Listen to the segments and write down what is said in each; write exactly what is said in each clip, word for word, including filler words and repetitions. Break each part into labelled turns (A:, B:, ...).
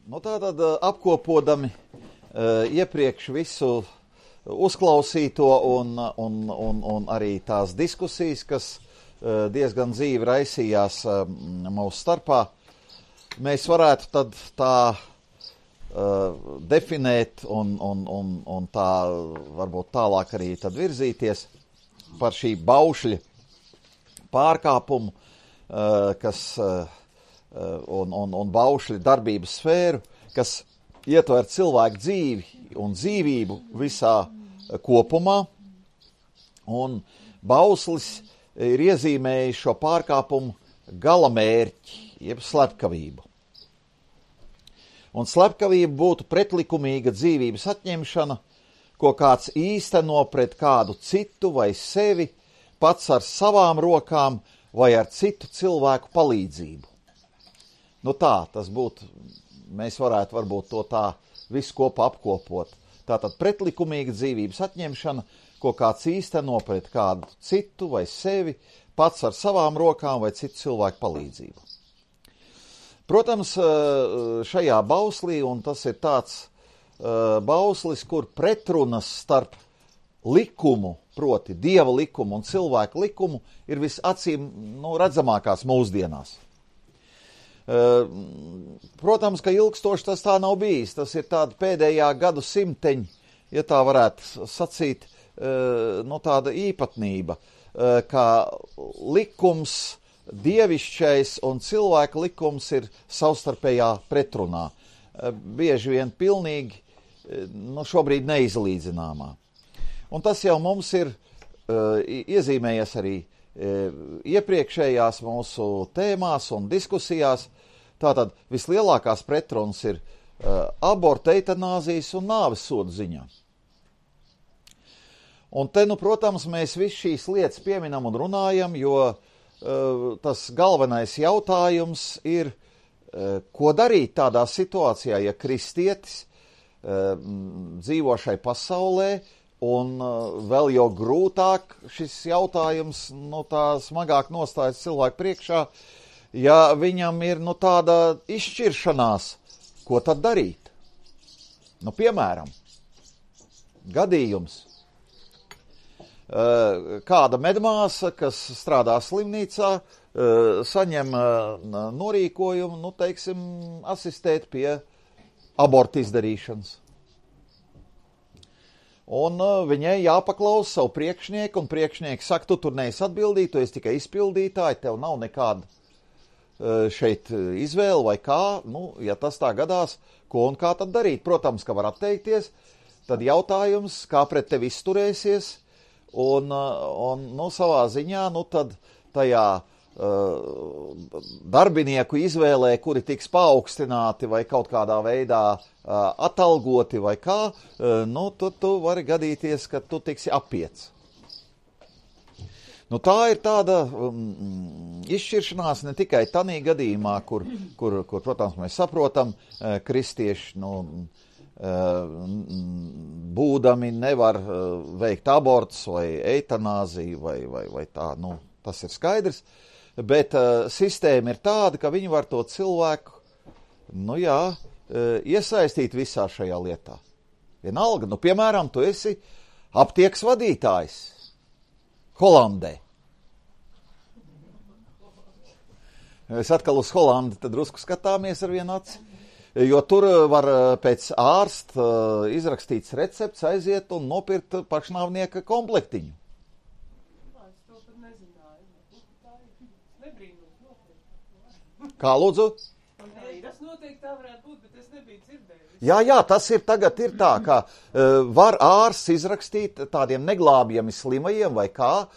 A: Nu, tātad apkopodami uh, iepriekš visu uzklausīto un, un, un, un arī tās diskusijas, kas uh, diezgan dzīvi raisījās uh, mūsu starpā, mēs varētu tad tā uh, definēt un, un, un, un tā varbūt tālāk arī tad virzīties par šī baušļa pārkāpumu, uh, kas uh, un, un, un baušļa darbības sfēru, kas ietver cilvēku dzīvi un dzīvību visā kopumā, un bauslis ir iezīmējis šo pārkāpumu galamērķi, jeb slepkavību. Un slepkavība būtu pretlikumīga dzīvības atņemšana, ko kāds īsteno pret kādu citu vai sevi, pats ar savām rokām vai ar citu cilvēku palīdzību. Nu tā, tas būtu, mēs varētu varbūt to tā visu kopā apkopot. Tātad pretlikumīga dzīvības atņemšana, ko kāds īsteno pret kādu citu vai sevi, pats ar savām rokām vai citu cilvēku palīdzību. Protams, šajā bauslī, un tas ir tāds bauslis, kur pretrunas starp likumu, proti Dieva likumu un cilvēku likumu, ir visacīm nu, redzamākās mūsdienās. Protams, ka ilgstoši tas tā nav bijis. Tas ir tāda pēdējā gadu simteņa, ja tā varētu sacīt, no tāda īpatnība, ka likums, dievišķais un cilvēka likums ir savstarpējā pretrunā. Bieži vien pilnīgi, nu šobrīd neizlīdzināmā. Un tas jau mums ir iezīmējies arī iepriekšējās mūsu tēmās un diskusijās. Tātad vislielākās pretrunas ir uh, aborta, eitanāzijas un nāves sodu ziņā. Un te, nu, protams, mēs visu šīs lietas pieminam un runājam, jo uh, tas galvenais jautājums ir, uh, ko darīt tādā situācijā, ja kristietis uh, dzīvo šai pasaulē, un uh, vēl jau grūtāk šis jautājums, nu, tā smagāk nostājas cilvēku priekšā, ja viņam ir, nu, tāda izšķiršanās, ko tad darīt. Nu, piemēram, gadījums. Uh, kāda medmāsa, kas strādā slimnīcā, uh, saņem uh, norīkojumu, nu, teiksim, asistēt pie aborta izdarīšanas. Un uh, viņai jāpaklausa savu priekšnieku, un priekšnieki saka, tu tur neesi atbildīgi, tu esi tikai izpildītāji, tev nav nekāda uh, šeit izvēle vai kā. Nu, ja tas tā gadās, ko un kā tad darīt? Protams, ka var atteikties, tad jautājums, kā pret tevi izturēsies, un, uh, un nu, savā ziņā, nu tad tajā uh, darbinieku izvēlē, kuri tiks paaugstināti vai kaut kādā veidā atalgoti vai kā, nu, tu, tu vari gadīties, ka tu tiksi apiets. Nu, tā ir tāda um, izšķiršanās ne tikai tanī gadījumā, kur, kur, kur, protams, mēs saprotam, kristieši, nu, būdami nevar veikt abortus vai eitanāziju vai, vai, vai tā, nu, tas ir skaidrs, bet uh, sistēma ir tāda, ka viņi var to cilvēku, nu jā, iesaistīt visā šajā lietā. Vienalga, nu, piemēram, tu esi aptiekas vadītājs Holandē. Es atkal uz Holandi tad drusku skatāmies ar vienu aci, jo tur var pēc ārsta izrakstīts recepts aiziet un nopirkt pašnāvnieka komplektiņu.
B: Es to pat nezināju.
A: Kā lūdzu?
B: Tas noteikti tā varētu būt, bet es nebiju dzirdējis.
A: Jā, jā, tas ir tagad ir tā, ka uh, var ārsts izrakstīt tādiem neglābjami slimajiem vai kā uh,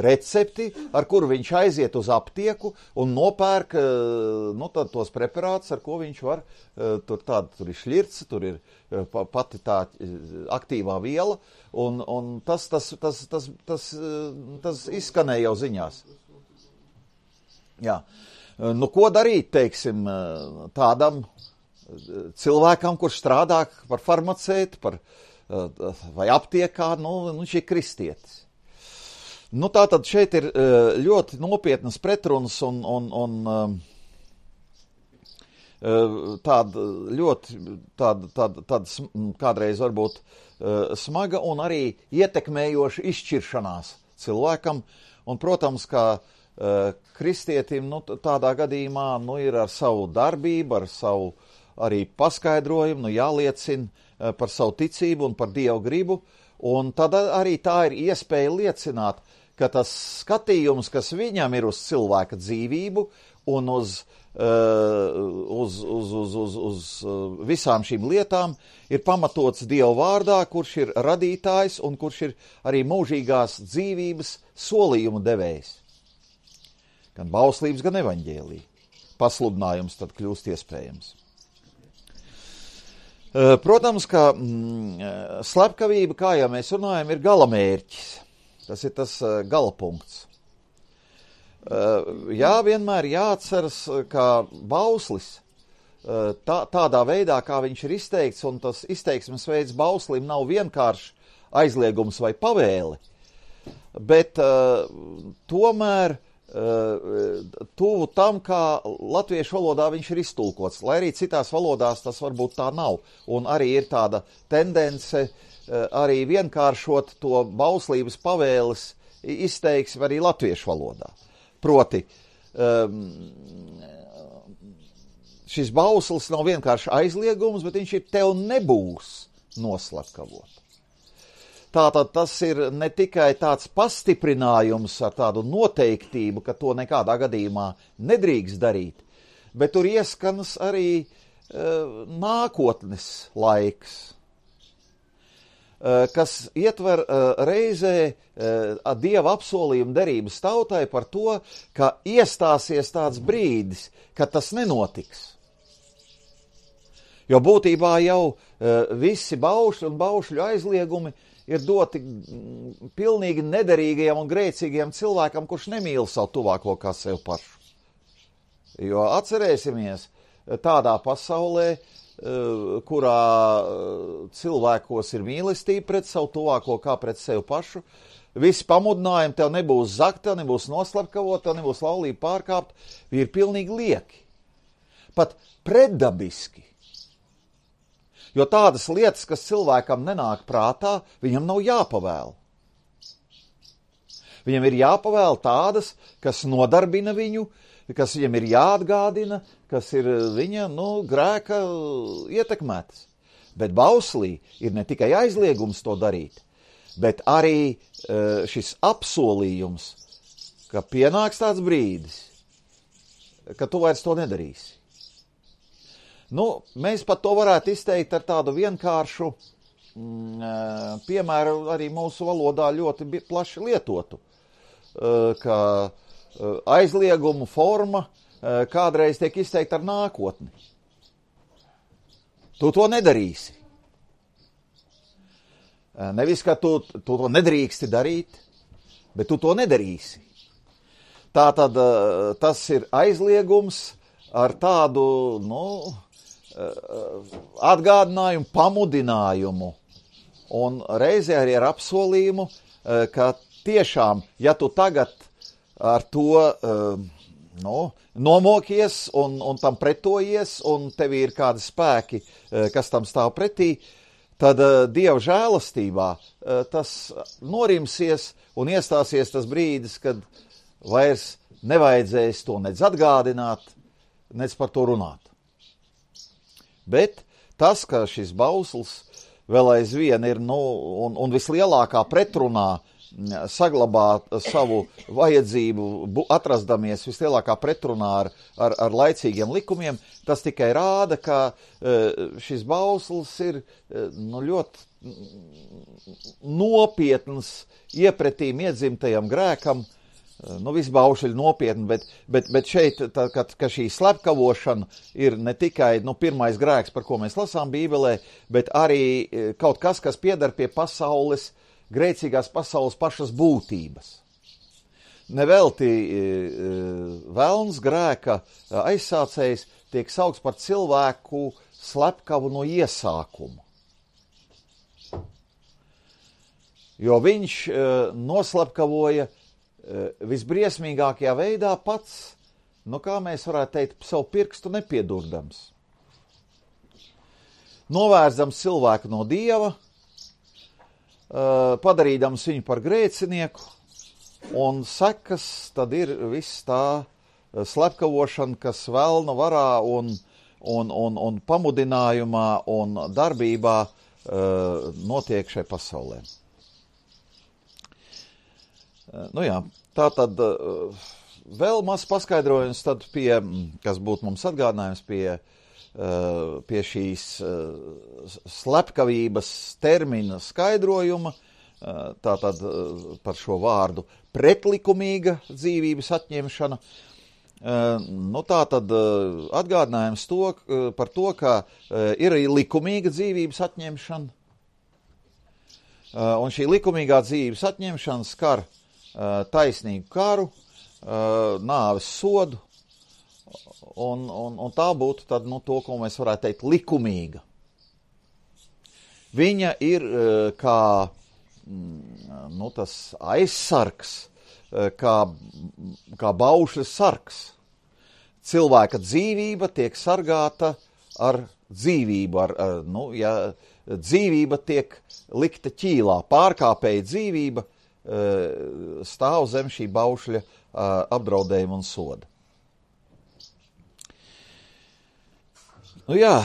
A: recepti, ar kuru viņš aiziet uz aptieku un nopērk uh, nu, tad, tos preparātus, ar ko viņš var, uh, tur, tāda, tur ir šļirts, tur ir uh, pati tā uh, aktīvā viela, un, un tas, tas, tas, tas, tas, uh, tas izskanēja jau ziņās. Jā. Nu, ko darīt, teiksim, tādam cilvēkam, kurš strādā par farmaceitu, par, vai aptiekā, nu, viņš ir kristietis. Nu, tātad šeit ir ļoti nopietnas pretrunas un, un, un tāda ļoti, tāda, tāda, tāda kādreiz varbūt smaga un arī ietekmējoša izšķiršanās cilvēkam. Un, protams, kā kristietim, nu, tādā gadījumā, nu, ir ar savu darbību, ar savu arī paskaidrojumu, nu, jāliecina par savu ticību un par Dievu gribu, un tad arī tā ir iespēja liecināt, ka tas skatījums, kas viņam ir uz cilvēka dzīvību un uz, uh, uz, uz, uz, uz, uz visām šīm lietām, ir pamatots Dieva vārdā, kurš ir radītājs un kurš ir arī mūžīgās dzīvības solījumu devējs. Gan bauslības, gan evaņģēlija. Pasludinājums tad kļūst iespējams. Protams, ka mm, slepkavība, kā jau mēs runājam, ir galamērķis. Tas ir tas uh, galapunkts. Uh, jā, vienmēr jāatceras, ka bauslis uh, tā, tādā veidā, kā viņš ir izteikts, un tas izteiksmes veids bauslim nav vienkārši aizliegums vai pavēle, bet uh, tomēr tuvu tam, kā latviešu valodā viņš ir iztulkots, lai arī citās valodās tas varbūt tā nav. Un arī ir tāda tendence arī vienkāršot to bauslības pavēles izteiksmi arī latviešu valodā. Proti, šis bauslis nav vienkārši aizliegums, bet viņš ir tev nebūs noslepkavot. Tātad tas ir ne tikai tāds pastiprinājums ar tādu noteiktību, ka to nekādā gadījumā nedrīkst darīt, bet tur ieskanas arī uh, nākotnes laiks, uh, kas ietver uh, reizē uh, Dieva apsolījumu derības tautai par to, ka iestāsies tāds brīdis, kad tas nenotiks. Jo būtībā jau uh, visi baušļi un baušļu aizliegumi ir doti pilnīgi nederīgajam un grēcīgajam cilvēkam, kurš nemīl savu tuvāko kā sev pašu. Jo atcerēsimies, tādā pasaulē, kurā cilvēkos ir mīlestība pret savu tuvāko kā pret sevi pašu, visi pamudinājumi tev nebūs zakt, tev nebūs noslepkavot, tev nebūs laulība pārkāpt, ir pilnīgi lieki. Pat pretdabiski. Jo tādas lietas, kas cilvēkam nenāk prātā, viņam nav jāpavēl. Viņam ir jāpavēl tādas, kas nodarbina viņu, kas viņam ir jāatgādina, kas ir viņa, nu, grēka ietekmētas. Bet bauslī ir ne tikai aizliegums to darīt, bet arī šis apsolījums, ka pienāks tāds brīdis, ka tu vairs to nedarīsi. Nu, mēs pat to varētu izteikt ar tādu vienkāršu mm, piemēru arī mūsu valodā ļoti plaši lietotu, ka aizliegumu forma kādreiz tiek izteikta ar nākotni. Tu to nedarīsi. Nevis, ka tu, tu to nedrīksti darīt, bet tu to nedarīsi. Tātad tas ir aizliegums ar tādu, nu, atgādinājumu, pamudinājumu un reizē arī ar apsolījumu, ka tiešām, ja tu tagad ar to nu, nomokies un, un tam pretojies un tev ir kādi spēki, kas tam stāv pretī, tad Dieva žēlastībā tas norimsies un iestāsies tas brīdis, kad vairs nevajadzēs to nedz atgādināt, nedz par to runāt. Bet tas, ka šis bauslis vēl aizvien ir, nu, un, un vislielākā pretrunā saglabā savu vajadzību, atrasdamies vislielākā pretrunā ar, ar, ar laicīgiem likumiem, tas tikai rāda, ka šis bauslis ir nu, ļoti nopietns iepretīm iedzimtajam grēkam. Nu, visi baušļi nopietni, bet, bet, bet šeit, tā, ka, ka šī slepkavošana ir ne tikai nu, pirmais grēks, par ko mēs lasām Bībelē, bet arī kaut kas, kas piedar pie pasaules, grēcīgās pasaules pašas būtības. Nevelti velns grēka aizsācējs tiek saukts par cilvēku slepkavu no iesākuma. Jo viņš noslepkavoja visbriesmīgākajā veidā pats nu kā mēs varētu teikt, savu pirkstu nepiedurdams. Novērzdams cilvēku no Dieva, padarīdams viņu par grēcinieku, un sekas tad ir viss tā slepkavošana, kas velna varā un, un, un, un pamudinājumā un darbībā notiek šai pasaulē. Nu jā, tā tad vēl maz paskaidrojums tad pie, kas būtu mums atgādinājums pie, pie šīs slepkavības termina skaidrojuma, tātad par šo vārdu pretlikumīga dzīvības atņemšana. Nu tātad atgādinājums to, par to, ka ir arī likumīga dzīvības atņemšana, un šī likumīgā dzīvības atņemšana skar taisnīgu karu, nāves sodu, un, un, un tā būtu tad, nu, to, ko mēs varētu teikt, likumīga. Viņa ir kā, nu, tas aizsargs, kā, kā baušļa sargs. Cilvēka dzīvība tiek sargāta ar dzīvību, ar, ar, nu, ja dzīvība tiek likta ķīlā, pārkāpēja dzīvība stāv zem šī baušļa apdraudējuma un soda. Nu jā,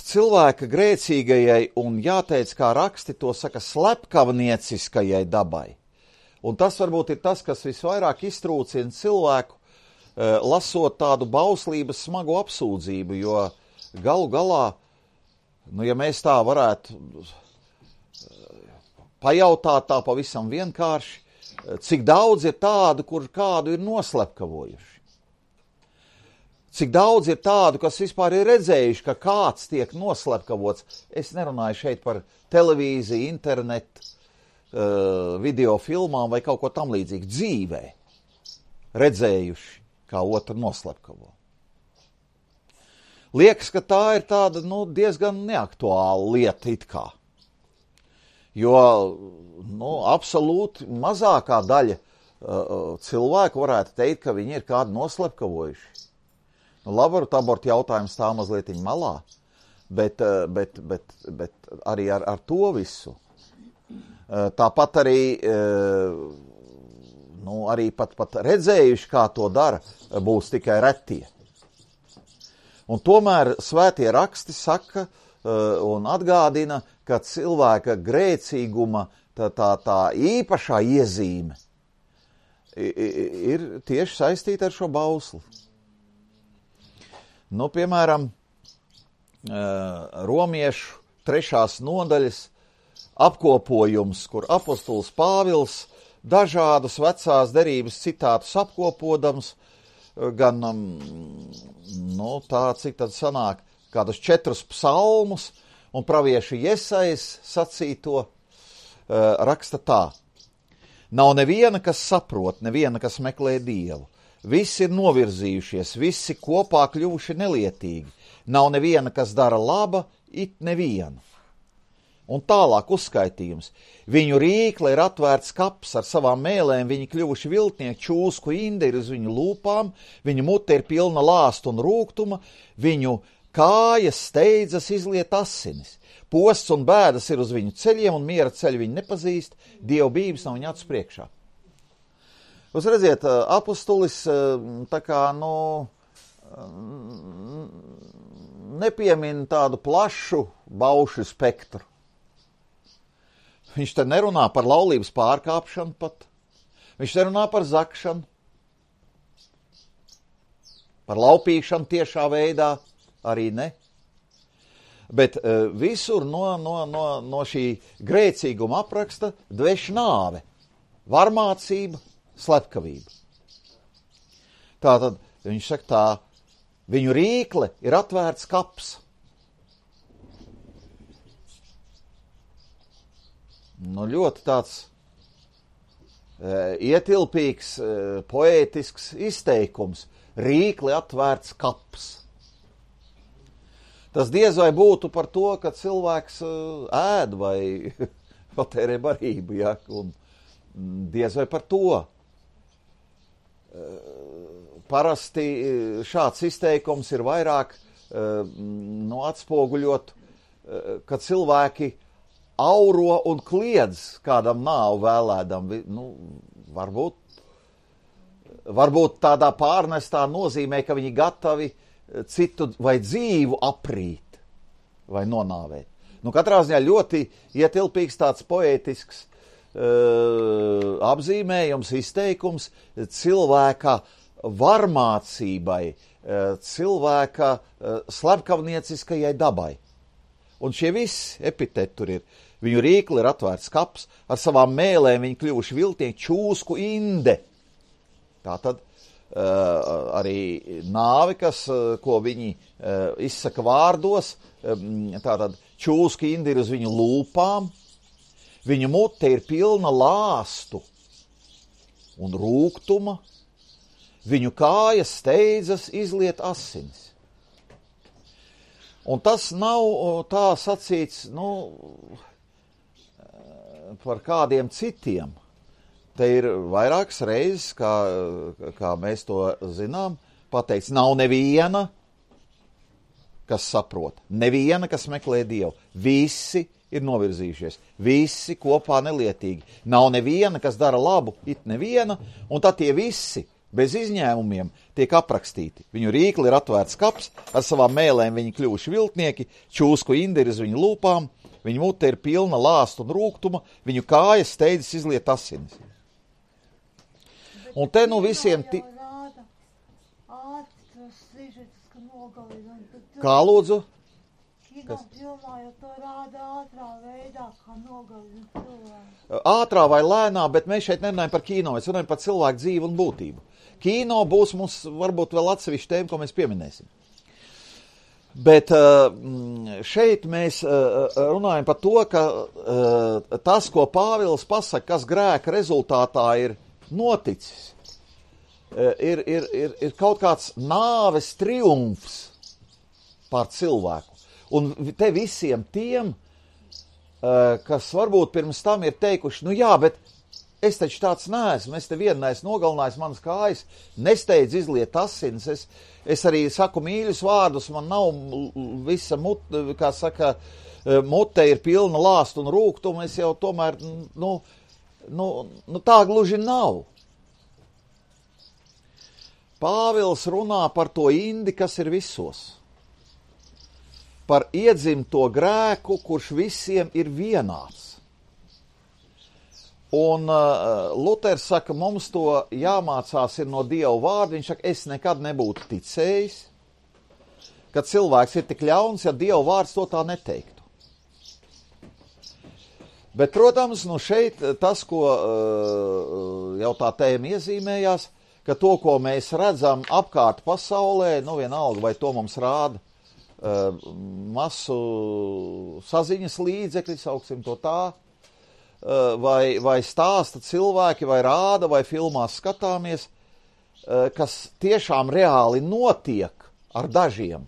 A: cilvēka grēcīgajai un jāteic, kā raksti to saka, slepkavnieciskajai dabai. Un tas varbūt ir tas, kas visvairāk iztrūcina cilvēku, lasot tādu bauslības smagu apsūdzību, jo galu galā, nu ja mēs tā varētu pajautāt tā pavisam vienkārši, cik daudz ir tādu, kur kādu ir noslepkavojuši. Cik daudz ir tādu, kas vispār ir redzējuši, ka kāds tiek noslepkavots. Es nerunāju šeit par televīziju, internetu, video filmām vai kaut ko tam līdzīgu. Dzīvē redzējuši, kā otru noslepkavo. Liekas, ka tā ir tāda, nu, diezgan neaktuāla lieta it kā. Jo, nu, absolūti mazākā daļa uh, cilvēku varētu teikt, ka viņi ir kādu noslepkavojuši. Nu, laboru abortu jautājums tā mazliet malā, bet, uh, bet, bet, bet arī ar, ar to visu. Uh, tāpat arī, uh, nu, arī pat, pat redzējuši, kā to dara, būs tikai retie. Un tomēr svētie raksti saka uh, un atgādina, ka cilvēka grēcīguma tā, tā, tā īpašā iezīme ir tieši saistīta ar šo bausli. Nu, piemēram, Romiešu trešās nodaļas apkopojums, kur apostols Pāvils dažādus vecās derības citātus apkopodams, gan, nu, tā, cik tad sanāk, kādus četrus psalmus, un pravieši Jesais sacīto uh, raksta tā. Nav neviena, kas saprot, neviena, kas meklē Dievu. Visi ir novirzījušies, visi kopā kļuvuši nelietīgi. Nav neviena, kas dara laba, it neviena. Un tālāk uzskaitījums. Viņu rīkle ir atvērts kaps ar savām mēlēm, viņi kļuvuši viltnieki, čūsku inde ir uz viņu lūpām, viņu mute ir pilna lāstu un rūgtuma, viņu kājas steidzas izliet asinis. Posts un bēdas ir uz viņu ceļiem, un miera ceļu viņi nepazīst, dievbības nav viņu acu priekšā. Jūs redziet, apostolis tā kā, nu, nepiemina tādu plašu baušļu spektru. Viņš te nerunā par laulības pārkāpšanu pat. Viņš nerunā par zakšanu, par laupīšanu tiešā veidā, arī ne. Bet uh, visur no, no, no, no šī grēcīguma apraksta dveš nāve, varmācība, slepkavība. Tātad viņš saka tā, viņu rīkle ir atvērts kaps. Nu, ļoti tāds uh, ietilpīgs, uh, poētisks izteikums. Rīkli atvērts kaps. Tas diez vai būtu par to, ka cilvēks uh, ēd vai patērē barību, ja, un diez vai par to. Uh, parasti šāds izteikums ir vairāk nu, atspoguļot, ka cilvēki auro un kliedz kādam nāvu vēlēdam. Nu, varbūt, varbūt tādā pārnestā nozīmē, ka viņi gatavi citu vai dzīvu aprīt vai nonāvēt. Nu, katrā ziņā ļoti ietilpīgs tāds poētisks uh, apzīmējums, izteikums cilvēka varmācībai, uh, cilvēka uh, slepkavnieciskajai dabai. Un šie visi epiteti tur ir. Viņu rīkli ir atvērts kaps, ar savām mēlēm viņi kļuvuši viltnieki, čūsku inde. Tātad uh, arī nāvi, kas, uh, ko viņi uh, izsaka vārdos, um, tātad čūsku inde ir uz viņu lūpām, viņu mute ir pilna lāstu un rūgtuma, viņu kājas steidzas izliet asinis. Un tas nav tā sacīts, nu, par kādiem citiem. Te ir vairākas reizes, kā, kā mēs to zinām, pateikts, nav neviena, kas saprot, neviena, kas meklē Dievu. Visi ir novirzījušies, visi kopā nelietīgi. Nav neviena, kas dara labu, it neviena, un tad tie visi bez izņēmumiem tiek aprakstīti. Viņu rīkli ir atvērts kaps, ar savām mēlēm viņi kļuvuši viltnieki, čūsku indi ir uz viņu lūpām, viņu mute ir pilna lāstu un rūgtuma, viņu kājas steidzas izliet asinis. Un te nu visiem... Ti... Kā lūdzu? Kino filmā jau to rāda ātrā veidā, kā nogalina cilvēku. Ātrā vai lēnā, bet mēs šeit nerunājam par kino, mēs runājam par cilvēku dzīvi un būtību. Kino būs mums varbūt vēl atsevišķi tēma, ko mēs pieminēsim. Bet šeit mēs runājam par to, ka tas, ko Pāvils pasaka, kas grēka rezultātā ir noticis, ir, ir, ir, ir kaut kāds nāves triumfs pār cilvēku. Un te visiem tiem, kas varbūt pirms tam ir teikuši, nu jā, bet es taču tāds neesmu, es te vienu neesmu nogalinājis, manas kājas nesteidz izliet asinis, es, es arī saku mīļus vārdus, man nav visa mute, kā saka, mute ir pilna lāstu un rūgtumu, es jau tomēr, nu, nu, nu tā gluži nav. Pāvils runā par to indi, kas ir visos. Par iedzimto grēku, kurš visiem ir vienāds. Un uh, Luters saka, mums to jāmācās ir no Dieva vārda. Viņš saka, es nekad nebūtu ticējis, ka cilvēks ir tik ļauns, ja Dieva vārds to tā neteiktu. Bet, protams, nu šeit tas, ko uh, jau tā tēma iezīmējās, ka to, ko mēs redzam apkārt pasaulē, nu vienalga, vai to mums rāda uh, masu saziņas līdzekļi, sauksim to tā, Vai, vai stāsta cilvēki, vai rāda, vai filmās skatāmies, kas tiešām reāli notiek ar dažiem.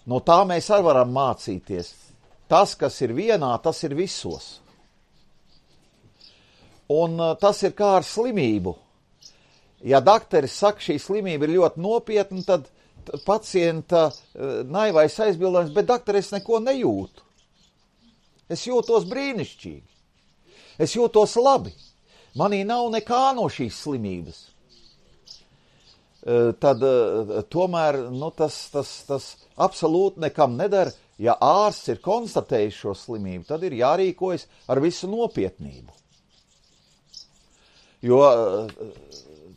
A: No tā mēs arī varam mācīties. Tas, kas ir vienā, tas ir visos. Un tas ir kā ar slimību. Ja dakteris saka, šī slimība ir ļoti nopietna, tad pacienta naivais aizbildājums, bet dakteri, es neko nejūtu. Es jūtos brīnišķīgi. Es jūtos labi. Manī nav nekā no šīs slimības. Tad tomēr nu, tas, tas, tas absolūti nekam nedara. Ja ārsts ir konstatējis šo slimību, tad ir jārīkojas ar visu nopietnību. Jo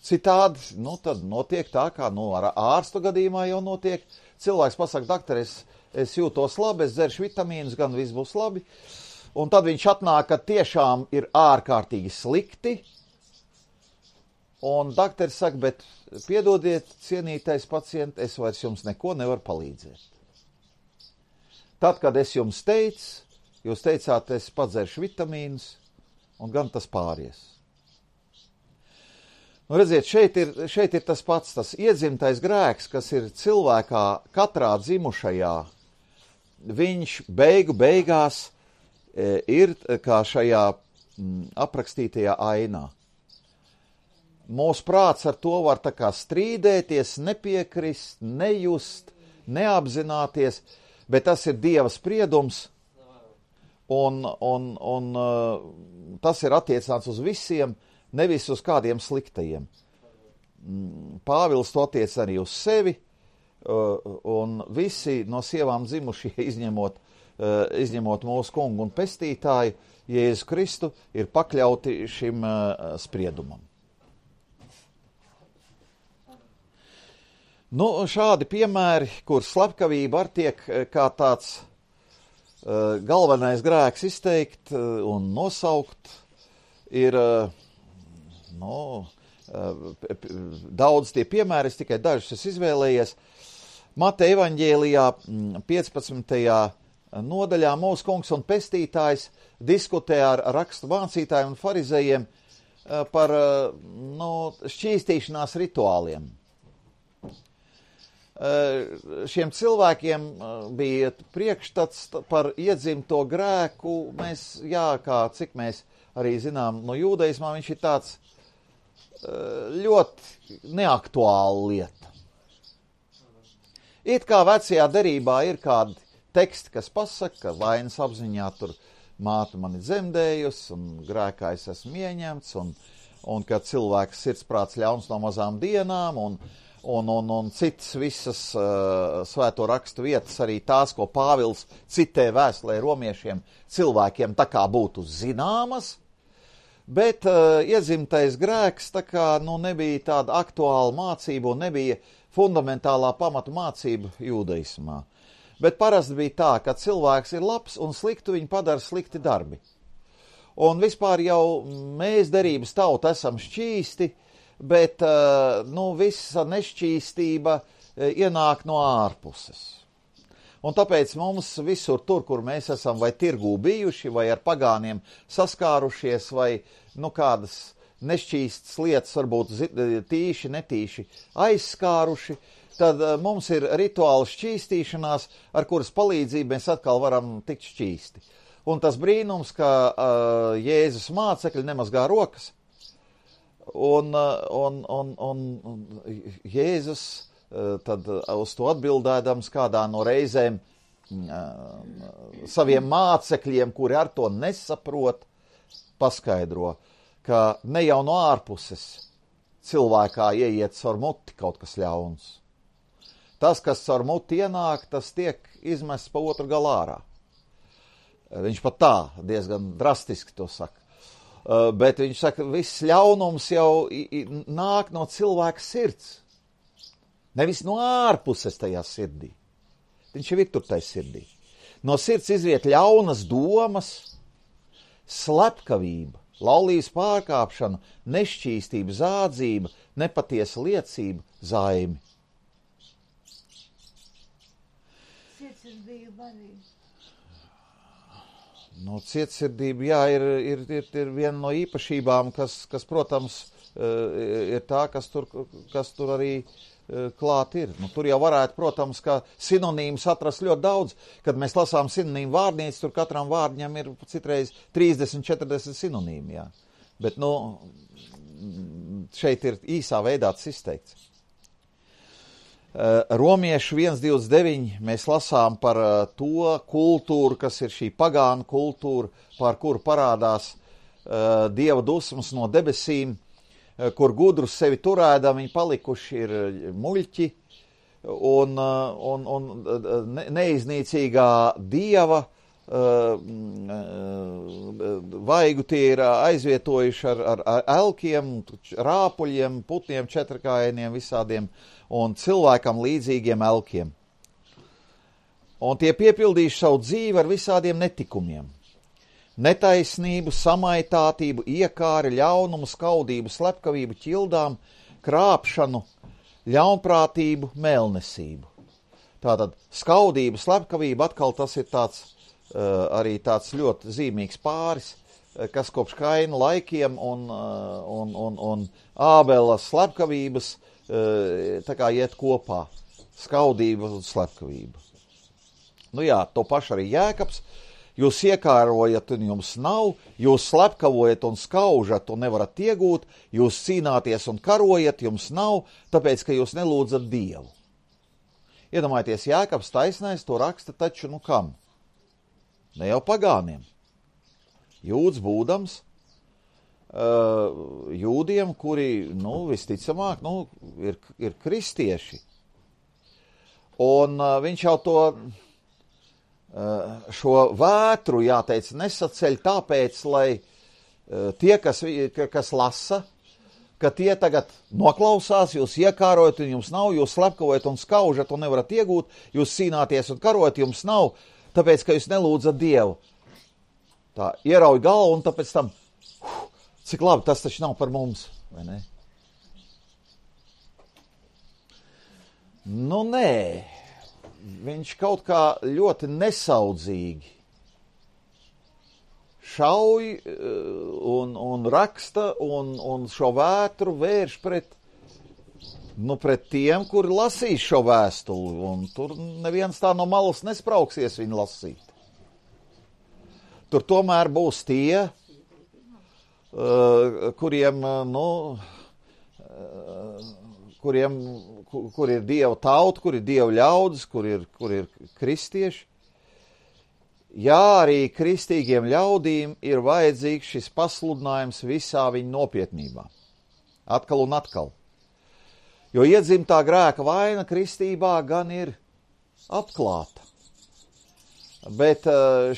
A: citādi nu, tad notiek tā, kā nu, ar ārstu gadījumā jau notiek. Cilvēks pasaka, dakter, es, es jūtos labi, es dzeršu vitamīnus, gan viss būs labi. Un tad viņš atnāk, ka tiešām ir ārkārtīgi slikti. Un dakteris saka, bet piedodiet, cienītais pacient, es vairs jums neko nevaru palīdzēt. Tad, kad es jums teicu, jūs teicāt, es padzeršu vitamīnus, un gan tas pāries. Nu, redziet, šeit ir, šeit ir tas pats, tas iedzimtais grēks, kas ir cilvēkā katrā dzimušajā. Viņš beigu beigās ir kā šajā m, aprakstītajā ainā. Mūsu prāts ar to var tā kā strīdēties, nepiekrist, nejust, neapzināties, bet tas ir Dieva spriedums, un, un, un uh, tas ir attiecināts uz visiem, nevis uz kādiem sliktajiem. Pāvils to attiec arī uz sevi, uh, un visi no sievām dzimušie, izņemot, uh, izņemot mūsu kungu un pestītāju, Jēzu Kristu, ir pakļauti šim uh, spriedumam. Nu, šādi piemēri, kur slepkavība ar tiek kā tāds uh, galvenais grēks izteikt uh, un nosaukt, ir uh, no, uh, daudz tie piemēri, es tikai dažus es izvēlējies. Mateja evaņģēlijā piecpadsmitajā nodaļā mūsu kungs un pestītājs diskutē ar rakstu mācītājiem un farizējiem uh, par uh, no, šķīstīšanās rituāliem. Šiem cilvēkiem bija priekšstats par iedzimto grēku. Mēs, jā, kā cik mēs arī zinām no jūdaismā, viņš ir tāds ļoti neaktuāla lieta. It kā vecajā derībā ir kādi teksti, kas pasaka, ka vainas apziņā tur māte mani dzemdējusi un grēkā es esmu ieņemts, un, un ka cilvēks sirdsprāts ļauns no mazām dienām, un Un, un, un citas visas uh, svēto rakstu vietas, arī tās, ko Pāvils citē vēstulē romiešiem, cilvēkiem tā kā būtu zināmas, bet uh, iedzimtais grēks tā kā nu, nebija tāda aktuāla mācība un nebija fundamentālā pamatu mācība jūdaismā. Bet parasti bija tā, ka cilvēks ir labs un sliktu viņu padara slikti darbi. Un vispār jau mēs derības tauta esam šķīsti, bet nu, visa nešķīstība ienāk no ārpuses. Un tāpēc mums visur tur, kur mēs esam vai tirgū bijuši, vai ar pagāniem saskārušies, vai nu, kādas nešķīstas lietas varbūt tīši, netīši aizskāruši, tad mums ir rituāla šķīstīšanās, ar kuras palīdzību mēs atkal varam tikt šķīsti. Un tas brīnums, ka uh, Jēzus mācekļi nemazgā rokas, Un, un, un, un, un Jēzus tad uz to atbildēdams kādā no reizēm saviem mācekļiem, kuri ar to nesaprot, paskaidro, ka ne jau no ārpuses cilvēkā ieiet caur muti kaut kas ļauns. Tas, kas caur muti ienāk, tas tiek izmests pa otru galā ārā. Viņš pat tā diezgan drastiski to saka. Uh, bet viņš saka, viss ļaunums jau i, i, nāk no cilvēka sirds. Nevis no ārpuses tajā sirdī. Viņš jau ir tur tajā sirdī. No sirds izriet ļaunas domas, slepkavība, laulības pārkāpšana, nešķīstība, zādzība, nepatiesa liecība, zaimi.
C: Cietsirdība arī.
A: Nu, cietsirdība, jā, ir, ir, ir, ir viena no īpašībām, kas, kas protams, ir tā, kas tur, kas tur arī klāt ir. Nu, tur jau varētu, protams, ka sinonīmus atrast ļoti daudz. Kad mēs lasām sinonīmu vārdnīcu, tur katram vārdiņam ir citreiz trīsdesmit, četrdesmit sinonīmi, jā. Bet, nu, šeit ir īsā veidā tas izteikts. Romiešu viens divdesmit deviņi mēs lasām par to kultūru, kas ir šī pagānu kultūra, par kuru parādās uh, Dieva dusmas no debesīm, uh, kur gudrus sevi turēdam, viņi palikuši ir muļķi, un, uh, un, un ne, neiznīcīgā Dieva uh, uh, vaigu tie ir aizvietojuši ar, ar, ar elkiem, rāpuļiem, putniem, četrkājieniem, visādiem, un cilvēkam līdzīgiem elkiem. Un tie piepildījuši savu dzīvi ar visādiem netikumiem. Netaisnību, samaitātību, iekāri, ļaunumu, skaudību, slepkavību, ķildām, krāpšanu, ļaunprātību, mēlnesību. Tātad skaudība, slepkavība, atkal tas ir tāds, uh, arī tāds ļoti zīmīgs pāris, kas kopš Kaina laikiem un, uh, un, un, un Ābela slepkavības tā kā iet kopā, skaudība un slepkavība. Nu jā, to pašu arī Jēkabs, jūs iekārojat un jums nav, jūs slepkavojat un skaužat un nevarat iegūt, jūs cīnāties un karojat, jums nav, tāpēc, ka jūs nelūdzat Dievu. Iedomājieties, Jēkabs taisnais to raksta taču, nu kam? Ne jau pagāniem. Jūds būdams, uh, jūdiem, kuri, nu, visticamāk, nu, ir, ir kristieši. Un uh, viņš jau to, uh, šo vētru, jāteic, nesaceļ tāpēc, lai uh, tie, kas, kas lasa, ka tie tagad noklausās, jūs iekārojat un jums nav, jūs slepkavojat un skaužat un nevarat iegūt, jūs cīnāties un karojat, jums nav, tāpēc, ka jūs nelūdzat Dievu. Tā, ierauj galvu un tāpēc tam, uh, cik labi, tas taču nav par mums, vai ne? Nu, nē, viņš kaut kā ļoti nesaudzīgi šauj un, un raksta un, un šo vētru vērš pret, nu, pret tiem, kuri lasīs šo vēstuli, un tur neviens tā no malas nesprauksies viņu lasīt. Tur tomēr būs tie, uh, kuriem, nu, uh, kuriem, kur, kur ir Dieva tauta, kur ir Dieva ļaudis, kur ir, kur ir kristieši. Jā, arī kristīgiem ļaudīm ir vajadzīgs šis pasludinājums visā viņa nopietnībā. Atkal un atkal. Jo iedzimtā grēka vaina kristībā gan ir atklāta. Bet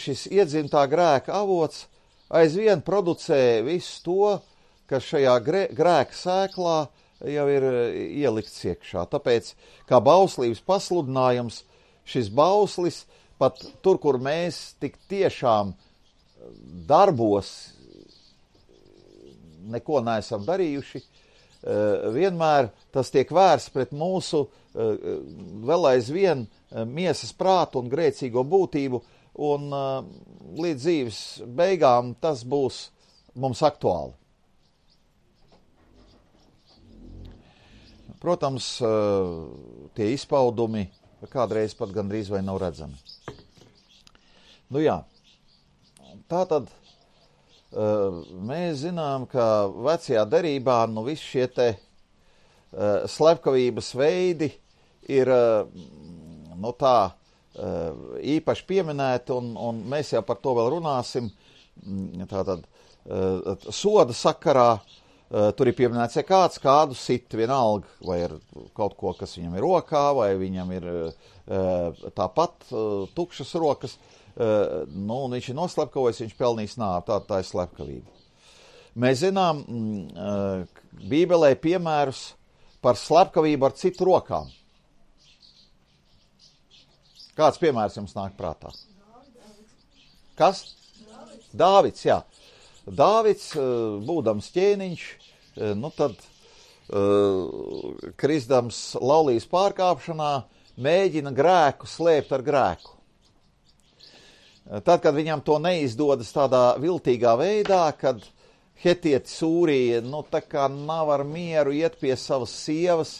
A: šis iedzimtā grēka avots aizvien producē visu to, kas šajā grēka sēklā jau ir ielikts iekšā. Tāpēc, kā bauslības pasludinājums, šis bauslis pat tur, kur mēs tik tiešām darbos neko neesam darījuši, vienmēr tas tiek vērsts pret mūsu vēl aizvien miesas prātu un grēcīgo būtību, un līdz dzīves beigām tas būs mums aktuāli. Protams, tie izpaudumi kādreiz pat gandrīz vai nav redzami. Nu jā, tātad uh, mēs zinām, ka vecajā derībā nu visi šie te uh, slepkavības veidi ir uh, nu tā uh, īpaši pieminēti, un, un mēs jau par to vēl runāsim. Tātad uh, soda sakarā uh, tur ir pieminēts, ja kāds kādu sit vienalga, vai ir kaut ko, kas viņam ir rokā, vai viņam ir uh, tāpat uh, tukšas rokas, uh, nu, un viņš ir noslepkavojis, viņš pelnīs nāvi, tā, tā ir slepkavība. Mēs zinām uh, Bībelē piemērus par slepkavību ar citu rokām. Kāds piemērs jums nāk prātā? Kas? Dāvids, jā. Dāvids, būdams ķēniņš, nu tad kristams laulības pārkāpšanā, mēģina grēku slēpt ar grēku. Tad, kad viņam to neizdodas tādā viltīgā veidā, kad hetieti Sūrija, nu tā kā nav ar mieru iet pie savas sievas,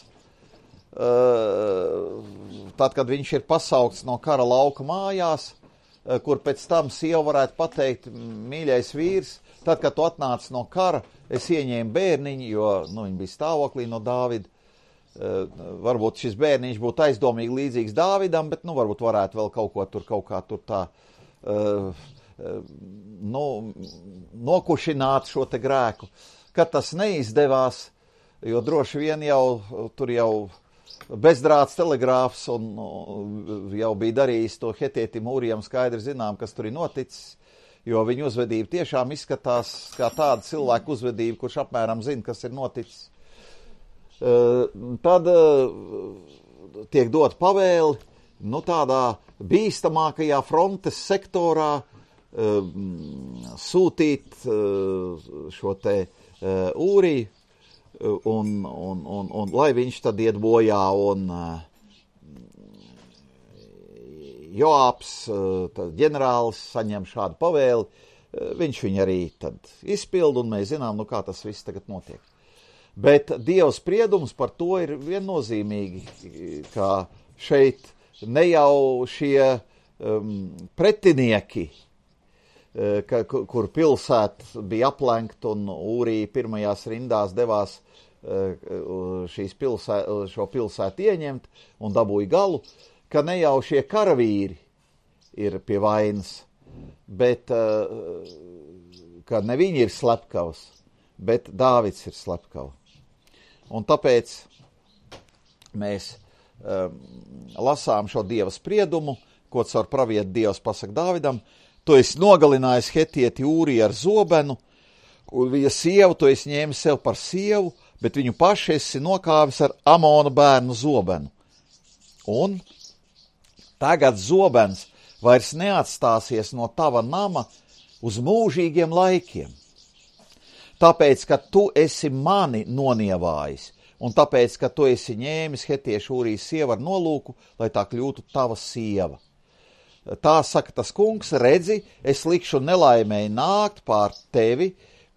A: tad, kad viņš ir pasaukts no kara lauka mājās, kur pēc tam sieva varētu pateikt, mīļais vīrs, tad, kad tu atnāc no kara, es ieņēmu bērniņu, jo nu, viņi bija stāvoklī no Dāvida. Varbūt šis bērniņš būtu aizdomīgi līdzīgs Dāvidam, bet nu, varbūt varētu vēl kaut ko tur, kaut kā tur tā uh, uh, nu, nokušināt šo te grēku. Kad tas neizdevās, jo droši vien jau tur jau bezdrāts telegrāfs un jau bija darījis to hetietim Ūrijam, skaidri zinām, kas tur ir noticis, jo viņa uzvedība tiešām izskatās kā tāda cilvēka uzvedība, kurš apmēram zina, kas ir noticis. Tad tiek dot pavēli, nu tādā bīstamākajā frontes sektorā sūtīt šo te Ūriju, Un, un, un, un lai viņš tad iet bojā, un uh, Joābs, uh, ģenerālis, saņem šādu pavēli, uh, viņš viņu arī tad izpilda, un mēs zinām, nu kā tas viss tagad notiek. Bet Dieva spriedums par to ir viennozīmīgi, ka šeit ne jau šie um, pretinieki ka, kur pilsēta bija aplenkta un Ūrija pirmajās rindās devās šīs pilsē, šo pilsētu ieņemt un dabūja galu, ka ne jau šie karavīri ir pie vainas, bet ka ne viņi ir slepkavas, bet Dāvids ir slepkava. Un tāpēc mēs um, lasām šo Dieva spriedumu, ko caur pravietu Dievs pasaka Dāvidam: tu esi nogalinājis hetieti Ūriju ar zobenu, un viņa sievu tu esi ņēmis sev par sievu, bet viņu paši esi nokāvis ar Amona bērnu zobenu. Un tagad zobens vairs neatstāsies no tava nama uz mūžīgiem laikiem. Tāpēc, ka tu esi mani nonievājis, un tāpēc, ka tu esi ņēmis hetiešu Ūrijas sievu ar nolūku, lai tā kļūtu tava sieva. Tā saka tas kungs: redzi, es likšu nelaimēji nākt pār tevi,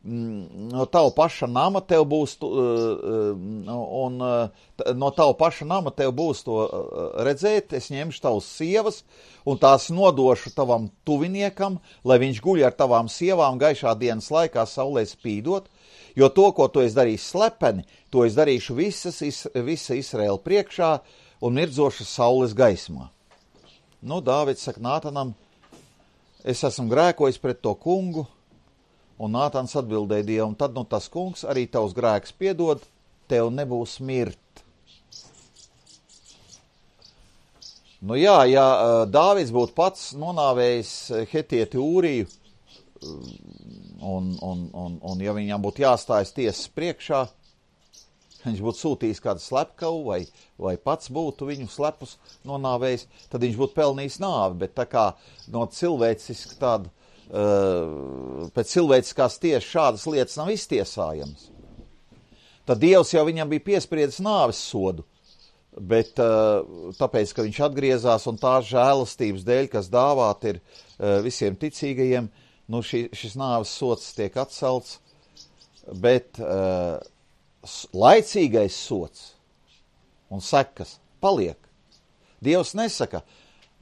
A: no tava paša nama tev būs, un no tava paša nama tev būs to redzēt, es ņemšu tavas sievas, un tās nodošu tavam tuviniekam, lai viņš guļ ar tavām sievām gaišā dienas laikā saulē spīdot, jo to, ko tu esi darījis slepeni, to es darīšu visas, visa Izraēla priekšā un mirdzošas saules gaismā. Nu, Dāvids saka Nātanam: es esmu grēkojis pret to kungu, un Nātans atbildēja Dievam: tad nu tas kungs arī tavs grēks piedod, tev nebūs mirt. Nu jā, ja Dāvids būtu pats nonāvējis hetieti Ūriju, un, un, un, un ja viņam būtu jāstājas tiesas priekšā, viņš būtu sūtījis kādu slepkavu, vai, vai pats būtu viņu slepus nonāvējis, tad viņš būtu pelnījis nāvi, bet tā kā no cilvēciski tāda, uh, pēc cilvēciskās tiesas šādas lietas nav iztiesājamas, tad Dievs jau viņam bija piespriedzis nāves sodu, bet uh, tāpēc, ka viņš atgriezās un tās žēlastības dēļ, kas dāvāt ir uh, visiem ticīgajiem, nu šī, šis nāves sods tiek atcelts, bet uh, laicīgais sods un sekas paliek. Dievs nesaka: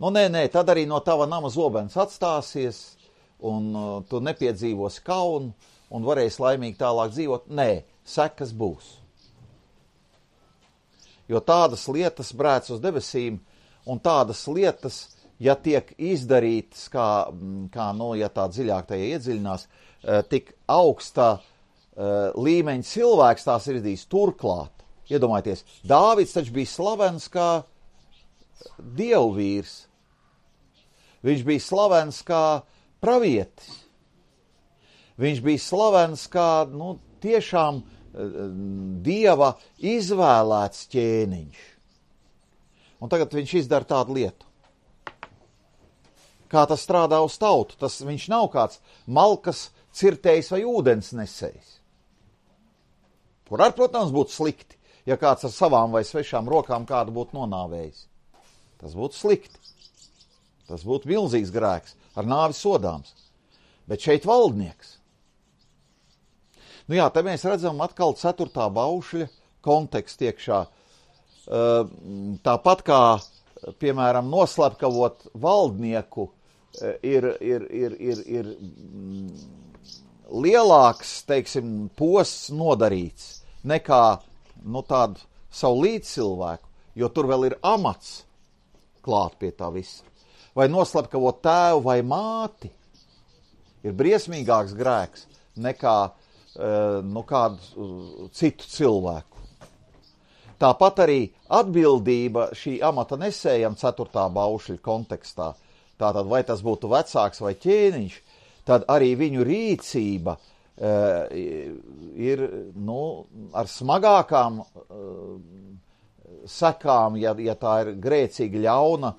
A: nu nē, nē, tad arī no tava nama zobens atstāsies, un uh, tu nepiedzīvosi kaunu, un varēsi laimīgi tālāk dzīvot. Nē, sekas būs. Jo tādas lietas brēc uz debesīm, un tādas lietas, ja tiek izdarītas, kā, kā nu, ja tā dziļāk tajā iedziļinās, uh, tik augstā Uh, līmeņa cilvēks tās ir izdarījis. Turklāt, iedomājieties, Dāvids taču bija slavens kā dievvīrs. Viņš bija slavens kā pravietis. Viņš bija slavens kā, nu, tiešām uh, Dieva izvēlēts ķēniņš. Un tagad viņš izdara tādu lietu. Kā tas strādā uz tautu? Tas viņš nav kāds malkas cirtējs vai ūdens nesējs. Kur ar, protams, būtu slikti, ja kāds ar savām vai svešām rokām kādu būtu nonāvējis. Tas būtu slikti. Tas būtu milzīgs grēks, ar nāvi sodāms. Bet šeit valdnieks. Nu jā, te mēs redzam atkal ceturtā baušļa kontekstu iekšā. Tāpat kā, piemēram, noslepkavot valdnieku, ir, ir, ir, ir, ir lielāks, teiksim, posts nodarīts nekā, nu, tādu savu līdzcilvēku, jo tur vēl ir amats klāt pie tā visa. Vai noslepkavot tēvu vai māti ir briesmīgāks grēks nekā, nu, kādu citu cilvēku. Tāpat arī atbildība šī amata nesējam ceturtā baušļa kontekstā. Tātad, vai tas būtu vecāks vai ķēniņš, tad arī viņu rīcība uh, ir, nu, ar smagākām uh, sekām, ja, ja tā ir grēcīga ļauna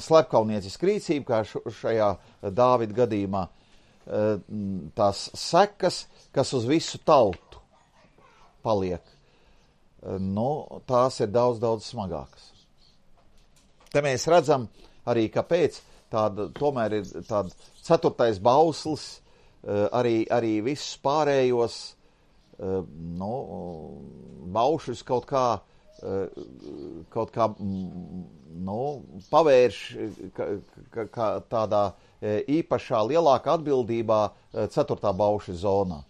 A: slepkavnieciska rīcība, kā šajā Dāvida gadījumā, uh, tās sekas, kas uz visu tautu paliek, uh, nu, tās ir daudz, daudz smagākas. Te mēs redzam arī, kāpēc tāda, tomēr ir tāda ceturtais bauslis, arī, arī visus pārējos, nu, baušus kaut kā kaut kā nu, pavērš ka, ka, ka tādā īpašā lielākā atbildībā ceturtā bauša zonā.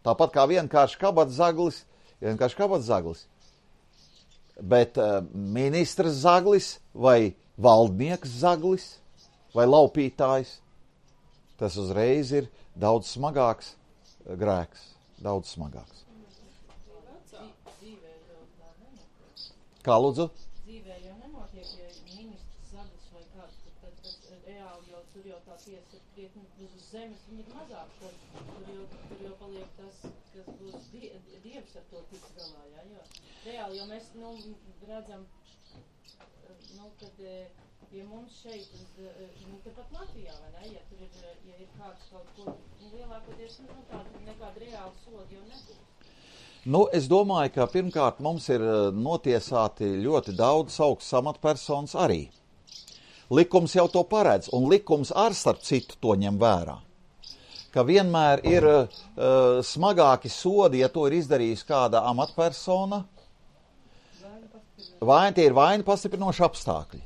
A: Tāpat kā vienkārši kabats zaglis, vienkārši kabats zaglis. Bet ministrs zaglis vai valdnieks zaglis vai laupītājs, tas uzreiz ir daudz smagāks grēks, daudz smagāks. Kā lūdzu?
C: Dzīvē jau nenotiek, ja ministrs zaglis vai kāds, tad, tad, tad reāli jau tur jau tā tiesa ir krietni uz zemes, viņi ir mazāk, tad tur jau, tur jau paliek tas, kas būs die, dievs ar to tiks galā, jā, jo reāli jau mēs, nu, redzam, nu, kad, ja mums šeit, nu, tepat Latvijā, vai ne, ja tur ir, ja ir kāds kaut ko, nu, lielākoties, nu, tāda nekāda reāla soda jau nebūs.
A: Nu, es domāju, ka pirmkārt mums ir notiesāti ļoti daudz augsts amatpersonas arī. Likums jau to paredz, un likums ar starp citu to ņem vērā. Ka vienmēr ir uh, smagāki sodi, ja to ir izdarījusi kāda amatpersona, vai tie ir vaina pastiprinoši apstākļi.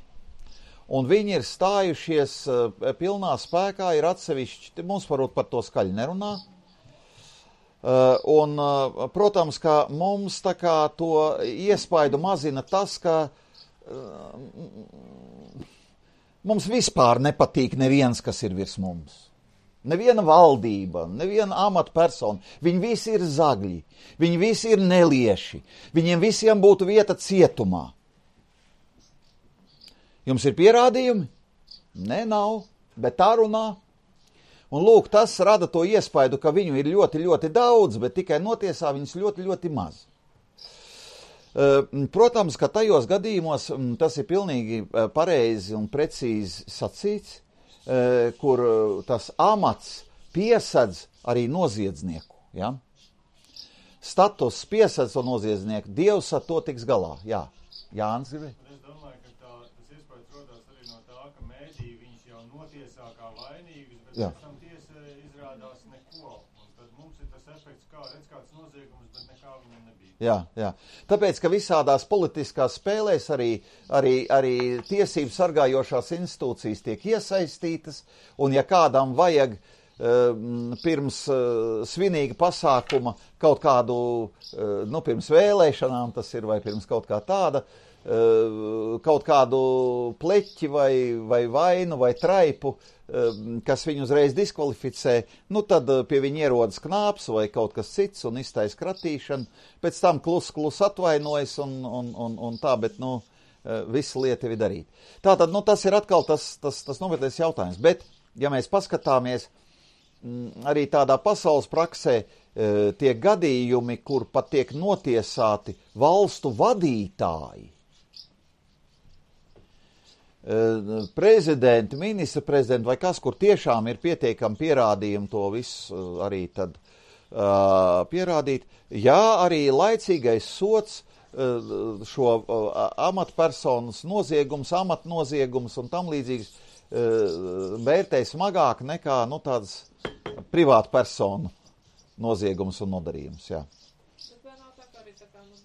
A: Un viņi ir stājušies uh, pilnā spēkā, ir atsevišķi, mums varbūt par to skaļi nerunā. Uh, un, uh, protams, ka mums tā kā to iespaidu mazina tas, ka uh, mums vispār nepatīk neviens, kas ir virs mums. Neviena valdība, neviena amatpersona. Viņi visi ir zagļi, viņi visi ir nelieši, viņiem visiem būtu vieta cietumā. Jums ir pierādījumi? Nē, nav, bet tā runā. Un lūk, tas rada to iespaidu, ka viņu ir ļoti, ļoti daudz, bet tikai notiesā viņus ļoti, ļoti maz. Protams, ka tajos gadījumos tas ir pilnīgi pareizi un precīzi sacīts, kur tas amats piesedz arī noziedznieku. Ja? Status piesedz to noziedznieku, Dievs ar to tiks galā. Jā, Jānis gribēja.
D: Es domāju, ka tā, tas iespējas rodās arī no tā, ka mēdī viņus jau notiesā kā vainīgus, bet
A: Jā.
D: pēc tam tiesa izrādās neko. Un tad mums ir tas efekts, kā redz kāds noziegums, bet nekā viņam nebija.
A: Jā, jā. Tāpēc, ka visādās politiskās spēlēs arī, arī, arī tiesību sargājošās institūcijas tiek iesaistītas, un ja kādam vajag uh, pirms uh, svinīga pasākuma kaut kādu, uh, nu, pirms vēlēšanām tas ir, vai pirms kaut kā tāda, uh, kaut kādu pleķi vai, vai vainu vai traipu, kas viņu uzreiz diskvalificē, nu tad pie viņa ierodas knāps vai kaut kas cits un iztais kratīšanu, pēc tam klus, klus atvainojas un, un, un, un tā, bet, nu, visa lieta ir darīt. Tātad, nu, tas ir atkal tas, tas, tas nopietnais jautājums, bet, ja mēs paskatāmies arī tādā pasaules praksē, tie gadījumi, kur pat tiek notiesāti valstu vadītāji, prezidenti, ministra prezidenti vai kas, kur tiešām ir pietiekami pierādījumi to visu arī tad uh, pierādīt. Jā, arī laicīgais sots uh, šo uh, amatpersonas noziegums, amatnoziegums un tam līdzīgs uh, vērtē smagāk nekā, nu, tādas privātu personu noziegums un nodarījums, jā.
B: Bet vai nav tā kā arī tā kā, nu,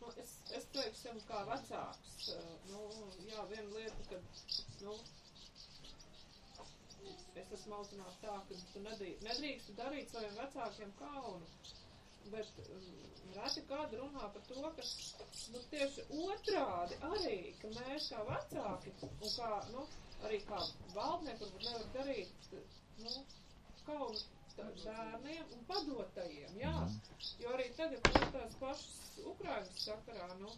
B: nu es, es teiksim, kā vecāks, nu, jā, viena lieta, kad, nu, es esmu audzināts tā, ka tu nedrīkst, nedrīkst darīt saviem vecākiem kaunu, bet um, reti kādi runā par to, ka, nu, tieši otrādi arī, ka mēs kā vecāki un kā, nu, arī kā valdnieki varbūt nevar darīt, nu, kaunu bērniem un padotajiem, jā, jo arī tagad nu, tās pašas Ukrainas sakarā, nu,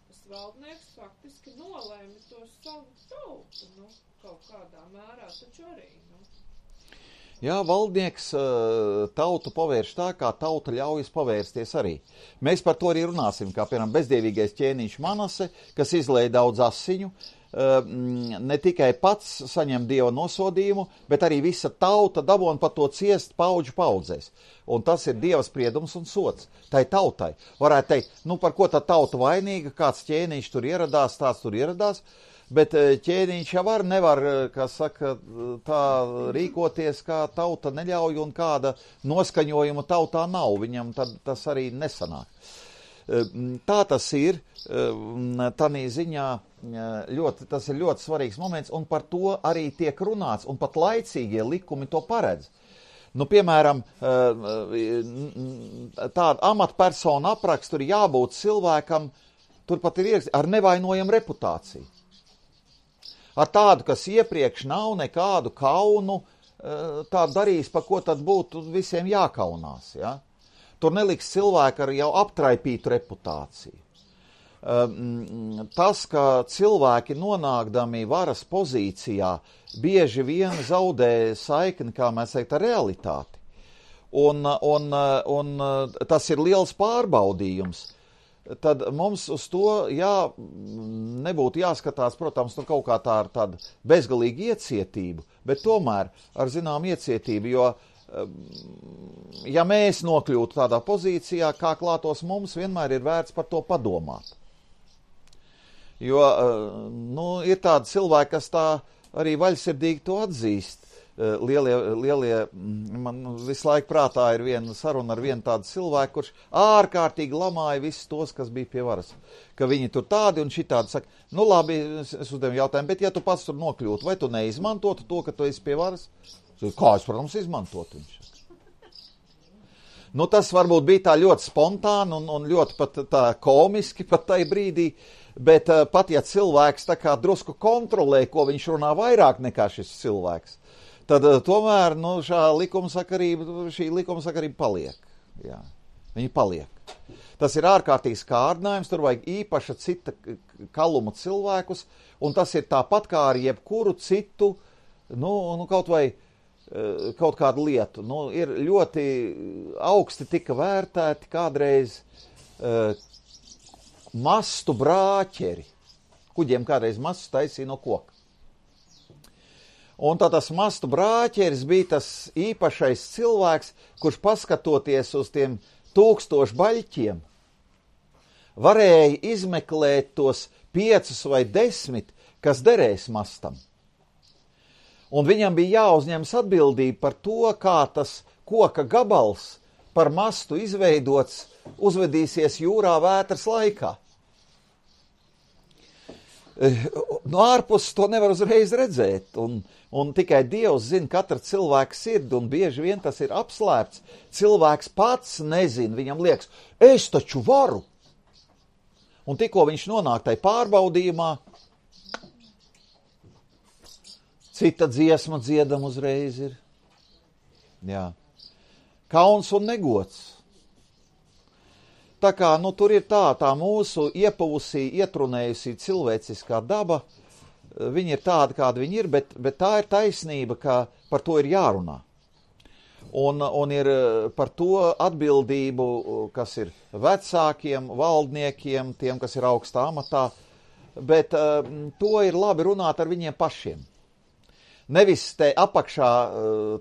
B: tas valdnieks faktiski nolēma to savu tautu, nu, kaut kādā mērā, taču arī, nu.
A: Jā, valdnieks tautu pavērš tā, kā tauta ļaujas pavērsties arī. Mēs par to arī runāsim, kā piemēram bezdievīgais ķēniņš Manase, kas izlēja daudz asiņu, ne tikai pats saņem Dieva nosodījumu, bet arī visa tauta dabūna par to ciest paudžu paudzēs. Un tas ir Dieva spriedums un sots. Tai tautai. Varētu teikt, nu par ko tā tauta vainīga, kāds ķēniņš tur ieradās, tāds tur ieradās, bet ķēniņš jau var, nevar, kā saka, tā rīkoties, kā tauta neļauj un kāda noskaņojuma tautā nav. Viņam tad tas arī nesanāk. tā tas ir, tādā ziņā ļoti, tas ir ļoti svarīgs moments, un par to arī tiek runāts, un pat laicīgie likumi to paredz. Nu, piemēram, tāda amatpersona apraksts tur jābūt cilvēkam, turpat ir ierakstīts, ar nevainojamu reputāciju. Ar tādu, kas iepriekš nav nekādu kaunu, tā darīs, pa ko tad būtu visiem jākaunās. Ja? Tur neliks cilvēku ar jau aptraipītu reputāciju. Tas, ka cilvēki nonākdami varas pozīcijā bieži vien zaudē saikni, kā mēs teikt, ar realitāti. Un, un, un tas ir liels pārbaudījums. Tad mums uz to jā, nebūtu jāskatās, protams, nu kaut kā tā ar tādu bezgalīgu iecietību, bet tomēr ar zinām iecietību, jo ja mēs nokļūtu tādā pozīcijā, kā klātos mums, vienmēr ir vērts par to padomāt. Jo nu, ir tādi cilvēki, kas tā arī vaļsirdīgi to atzīst. Lielie, lielie, man visu laiku prātā ir viena saruna ar vienu tādu cilvēku, kurš ārkārtīgi lamāja visus tos, kas bija pie varas. Ka viņi tur tādi un šitādi saka, nu labi, es uzdevu jautājumu, bet ja tu pats tur nokļūtu, vai tu neizmantotu to, ka tu esi pie varas? Kā es, protams, izmantotu viņš? Nu, tas varbūt bija tā ļoti spontāni un, un ļoti pat tā komiski pat tai brīdī, bet uh, pat ja cilvēks tā kā drusku kontrolē, ko viņš runā vairāk nekā šis cilvēks, tad uh, tomēr nu, šā likumsakarība, šī likumsakarība paliek. Jā, viņi paliek. Tas ir ārkārtīgs kārdinājums, tur vajag īpaša cita kaluma cilvēkus, un tas ir tāpat kā ar jebkuru citu, nu, nu kaut vai kaut kādu lietu. Nu, ir ļoti augsti tika vērtēti kādreiz uh, mastu brāķeri. Kuģiem kādreiz mastus taisīja no koka. Un tā tas mastu brāķeris bija tas īpašais cilvēks, kurš paskatoties uz tiem tūkstošu baļķiem, varēja izmeklēt tos piecus vai desmit, kas derēs mastam. Un viņam bija jāuzņemas atbildība par to, kā tas koka gabals par mastu izveidots uzvedīsies jūrā vētras laikā. No ārpuses to nevar uzreiz redzēt, un, un tikai Dievs zina katra cilvēka sirdi, un bieži vien tas ir apslēpts. Cilvēks pats nezina, viņam liekas, es taču varu. Un tikko viņš nonāk tai pārbaudījumā, cita dziesma dziedam uzreiz ir. Jā. Kauns un negods. Tā kā, nu, tur ir tā, tā mūsu iepavusī, ietrunējusī cilvēciskā daba, viņi ir tādi, kādi viņi ir, bet, bet tā ir taisnība, ka par to ir jārunā. Un, un ir par to atbildību, kas ir vecākiem, valdniekiem, tiem, kas ir augstā amatā, bet uh, to ir labi runāt ar viņiem pašiem. Nevis te apakšā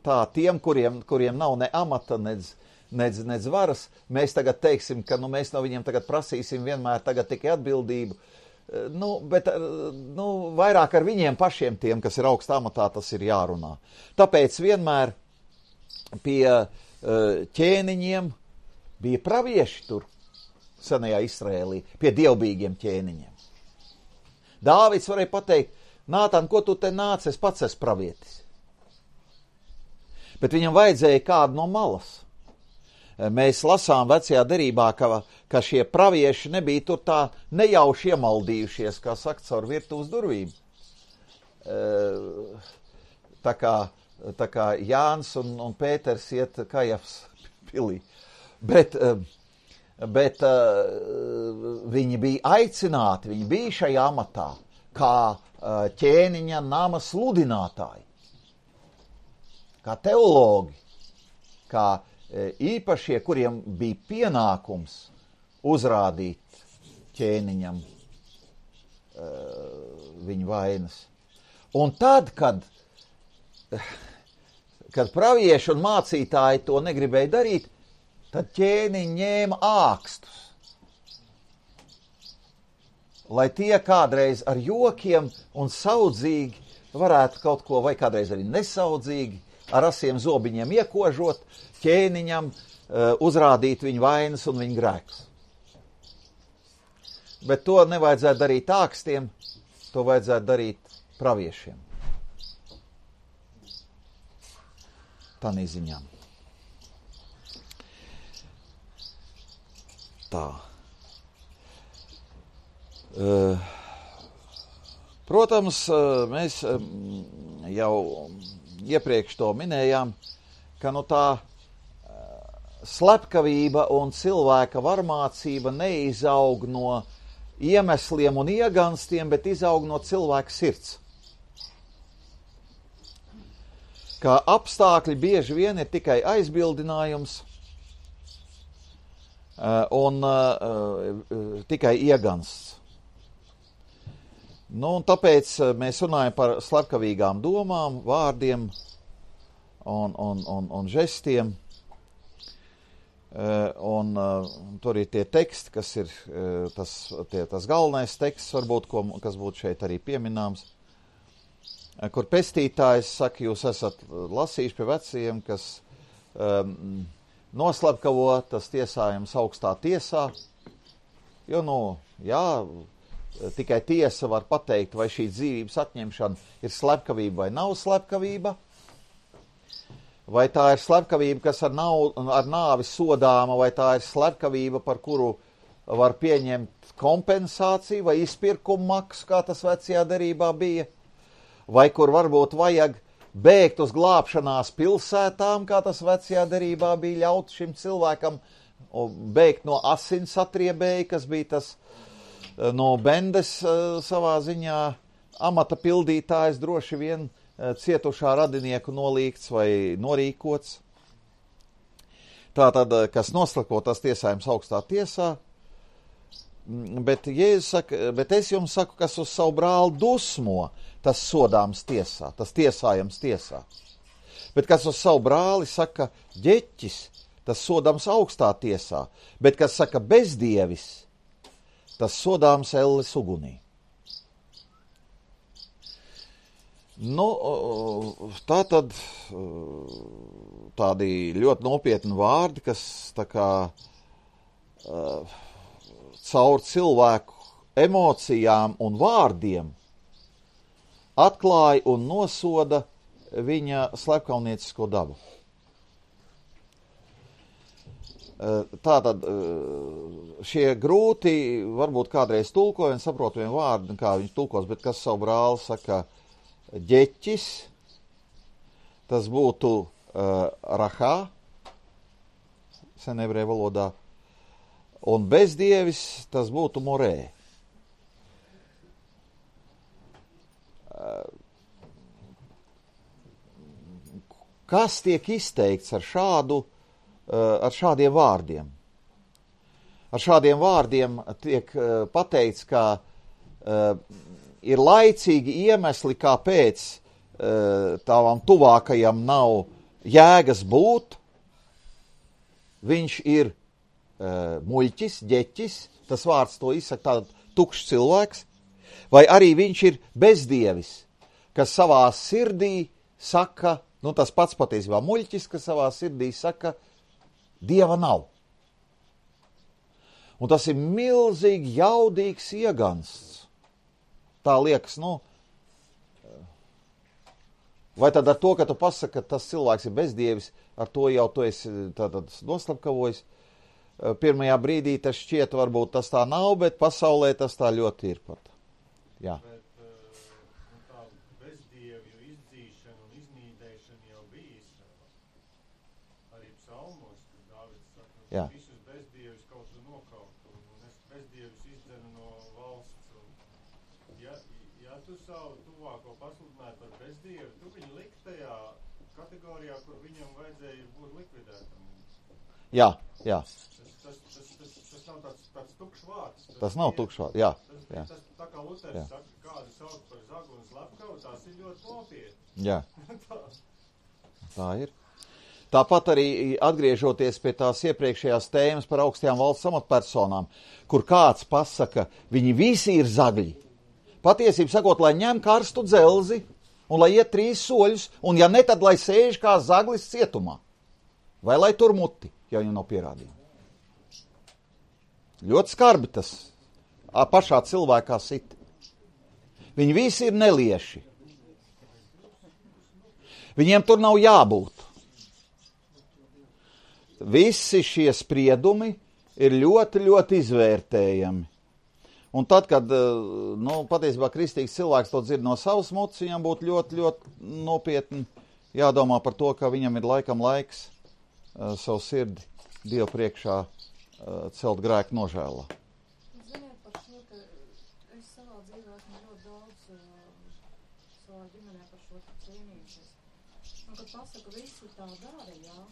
A: tā tiem, kuriem, kuriem nav ne amata, nedz, nedz, nedz varas, mēs tagad teiksim, ka nu, mēs no viņiem tagad prasīsim vienmēr tagad tikai atbildību. Nu, bet nu, vairāk ar viņiem pašiem tiem, kas ir augstā amatā, tas ir jārunā. Tāpēc vienmēr pie ķēniņiem bija pravieši tur, senajā Izraēlī, pie dievbijīgiem ķēniņiem. Dāvids varēja pateikt, Nātan, ko tu te nāc, es pats esmu pravietis. Bet viņam vajadzēja kādu no malas. Mēs lasām vecajā derībā, ka, ka šie pravieši nebija tur tā nejauši iemaldījušies, kā saka, caur virtuves durvīm. Tā kā, tā kā Jānis un, un Pēters iet Kajavas pilī. Bet, bet viņi bija aicināti, viņi bija šajā amatā, kā ķēniņa nama sludinātāji, kā teologi, kā īpašie, kuriem bija pienākums uzrādīt ķēniņam viņa vainas. Un tad, kad, kad pravieši un mācītāji to negribēja darīt, tad ķēniņi ņēma ākstus. Lai tie kādreiz ar jokiem un saudzīgi varētu kaut ko, vai kādreiz arī nesaudzīgi, ar asiem zobiņiem iekožot, ķēniņam uh, uzrādīt viņu vainas un viņu grēkus. Bet to nevajadzētu darīt ākstiem, to vajadzētu darīt praviešiem. Tādā ziņā. Tā. Protams, mēs jau iepriekš to minējām, ka nu tā slepkavība un cilvēka varmācība neizaug no iemesliem un ieganstiem, bet izaug no cilvēka sirds. Kā apstākļi bieži vien ir tikai aizbildinājums un uh, tikai iegansts. Nu, un tāpēc mēs runājam par slepkavīgām domām, vārdiem un, un, un, un žestiem. Uh, un uh, tur ir tie teksti, kas ir uh, tas, tie, tas galvenais teksts, varbūt, ko, kas būtu šeit arī pieminams, uh, kur pestītājs saka, jūs esat lasījuši pie vecajiem, kas um, noslapkavo, tas tiesājums augstā tiesā, jo, nu, jā, tikai tiesa var pateikt, vai šī dzīvības atņemšana ir slepkavība vai nav slepkavība, vai tā ir slepkavība, kas ar, nav, ar nāvi sodāma, vai tā ir slepkavība, par kuru var pieņemt kompensāciju vai izpirkumu maksu, kā tas vecajā derībā bija, vai kur varbūt vajag bēgt uz glābšanās pilsētām, kā tas vecajā derībā bija ļaut šim cilvēkam bēgt no asins atriebēja, kas bija tas no bendes savā ziņā amata pildītājs, droši vien cietušā radinieku nolīgts vai norīkots. Tātad, kas noslako, tas tiesājums augstā tiesā, bet, Jēzus saka, bet es jums saku, kas uz savu brāli dusmo, tas sodāms tiesā, tas tiesājams tiesā. Bet kas uz savu brāli saka ģeķis, tas sodāms augstā tiesā, bet kas saka bezdievis, tas sodāms elles ugunī. Nu, tā tad tādi ļoti nopietni vārdi, kas tā kā caur cilvēku emocijām un vārdiem atklāja un nosoda viņa slepkavniecisko dabu. Tātad šie grūti, varbūt kādreiz tulkojumi, saprotami vārdi, kā viņš tulkos, bet kas savu brāli saka ģeķis, tas būtu uh, rahā, sen ebreju valodā, un bezdievis, tas būtu morē. Uh, kas tiek izteikts ar šādu, uh, ar šādiem vārdiem? Ar šādiem vārdiem tiek uh, pateikts, ka uh, ir laicīgi iemesli, kāpēc uh, tāvam tuvākajam nav jēgas būt. Viņš ir uh, muļķis, ģeķis, tas vārds to izsaka tāds tukšs cilvēks, vai arī viņš ir bezdievis, kas savā sirdī saka, nu tas pats patiesībā muļķis, kas savā sirdī saka, Dieva nav. Un tas ir milzīgi jaudīgs iegansts. Tā liekas, nu, vai tad ar to, ka tu pasaki, ka tas cilvēks ir bezdievis, ar to jau tu esi tātad noslapkavojis. Pirmajā brīdī tas šķiet, varbūt tas tā nav, bet pasaulē tas tā ļoti ir pat. Jā.
D: Bet nu, tā bezdievju izdzīšana un iznīdēšana jau bija Izrēlā. Arī psalmos, kad Dāvids saka,
A: Jā.
D: visus bezdievis kaut kur nokaut, un, un es bezdievis izdzenu no valsts. Ja, ja tu savu tuvāko pasludināji par bezdievu, tu viņu likt tajā kategorijā, kur viņam vajadzēja būt likvidētam.
A: Jā, jā.
D: Tas, tas, tas, tas, tas nav tāds, tāds tukšs vārds. Tas,
A: Tas nav tukšs vārds, jā.
D: Tas,
A: jā.
D: tas, tā kā Luters
A: Jā.
D: saka, kādu sauc par zagu un slepkavu, tās ir ļoti nopietni.
A: Jā. Tā ir. Tāpat arī atgriežoties pie tās iepriekšējās tēmas par augstajām valsts amatpersonām, kur kāds pasaka, viņi visi ir zagļi. Patiesību sakot, lai ņem karstu dzelzi un lai iet trīs soļus, un ja ne, tad lai sēž kā zaglis cietumā. Vai lai tur muti, ja viņam nav pierādījumi. Ļoti skarbi tas pašā cilvēkā sit. Viņi visi ir nelieši. Viņiem tur nav jābūt. Visi šie spriedumi ir ļoti, ļoti izvērtējami. Un tad, kad, nu, patiesībā kristīgs cilvēks to dzird no savas mutes, viņam būtu ļoti, ļoti nopietni jādomā par to, ka viņam ir laikam laiks uh, savu sirdi Dievu priekšā uh, celt grēku nožēlā.
E: Ziniet par šo, ka es savā dzīvē esmu ļoti daudz uh, savā ģimenē par šo cīnījušies. Un, kad pasaka, visi tā dara, jā,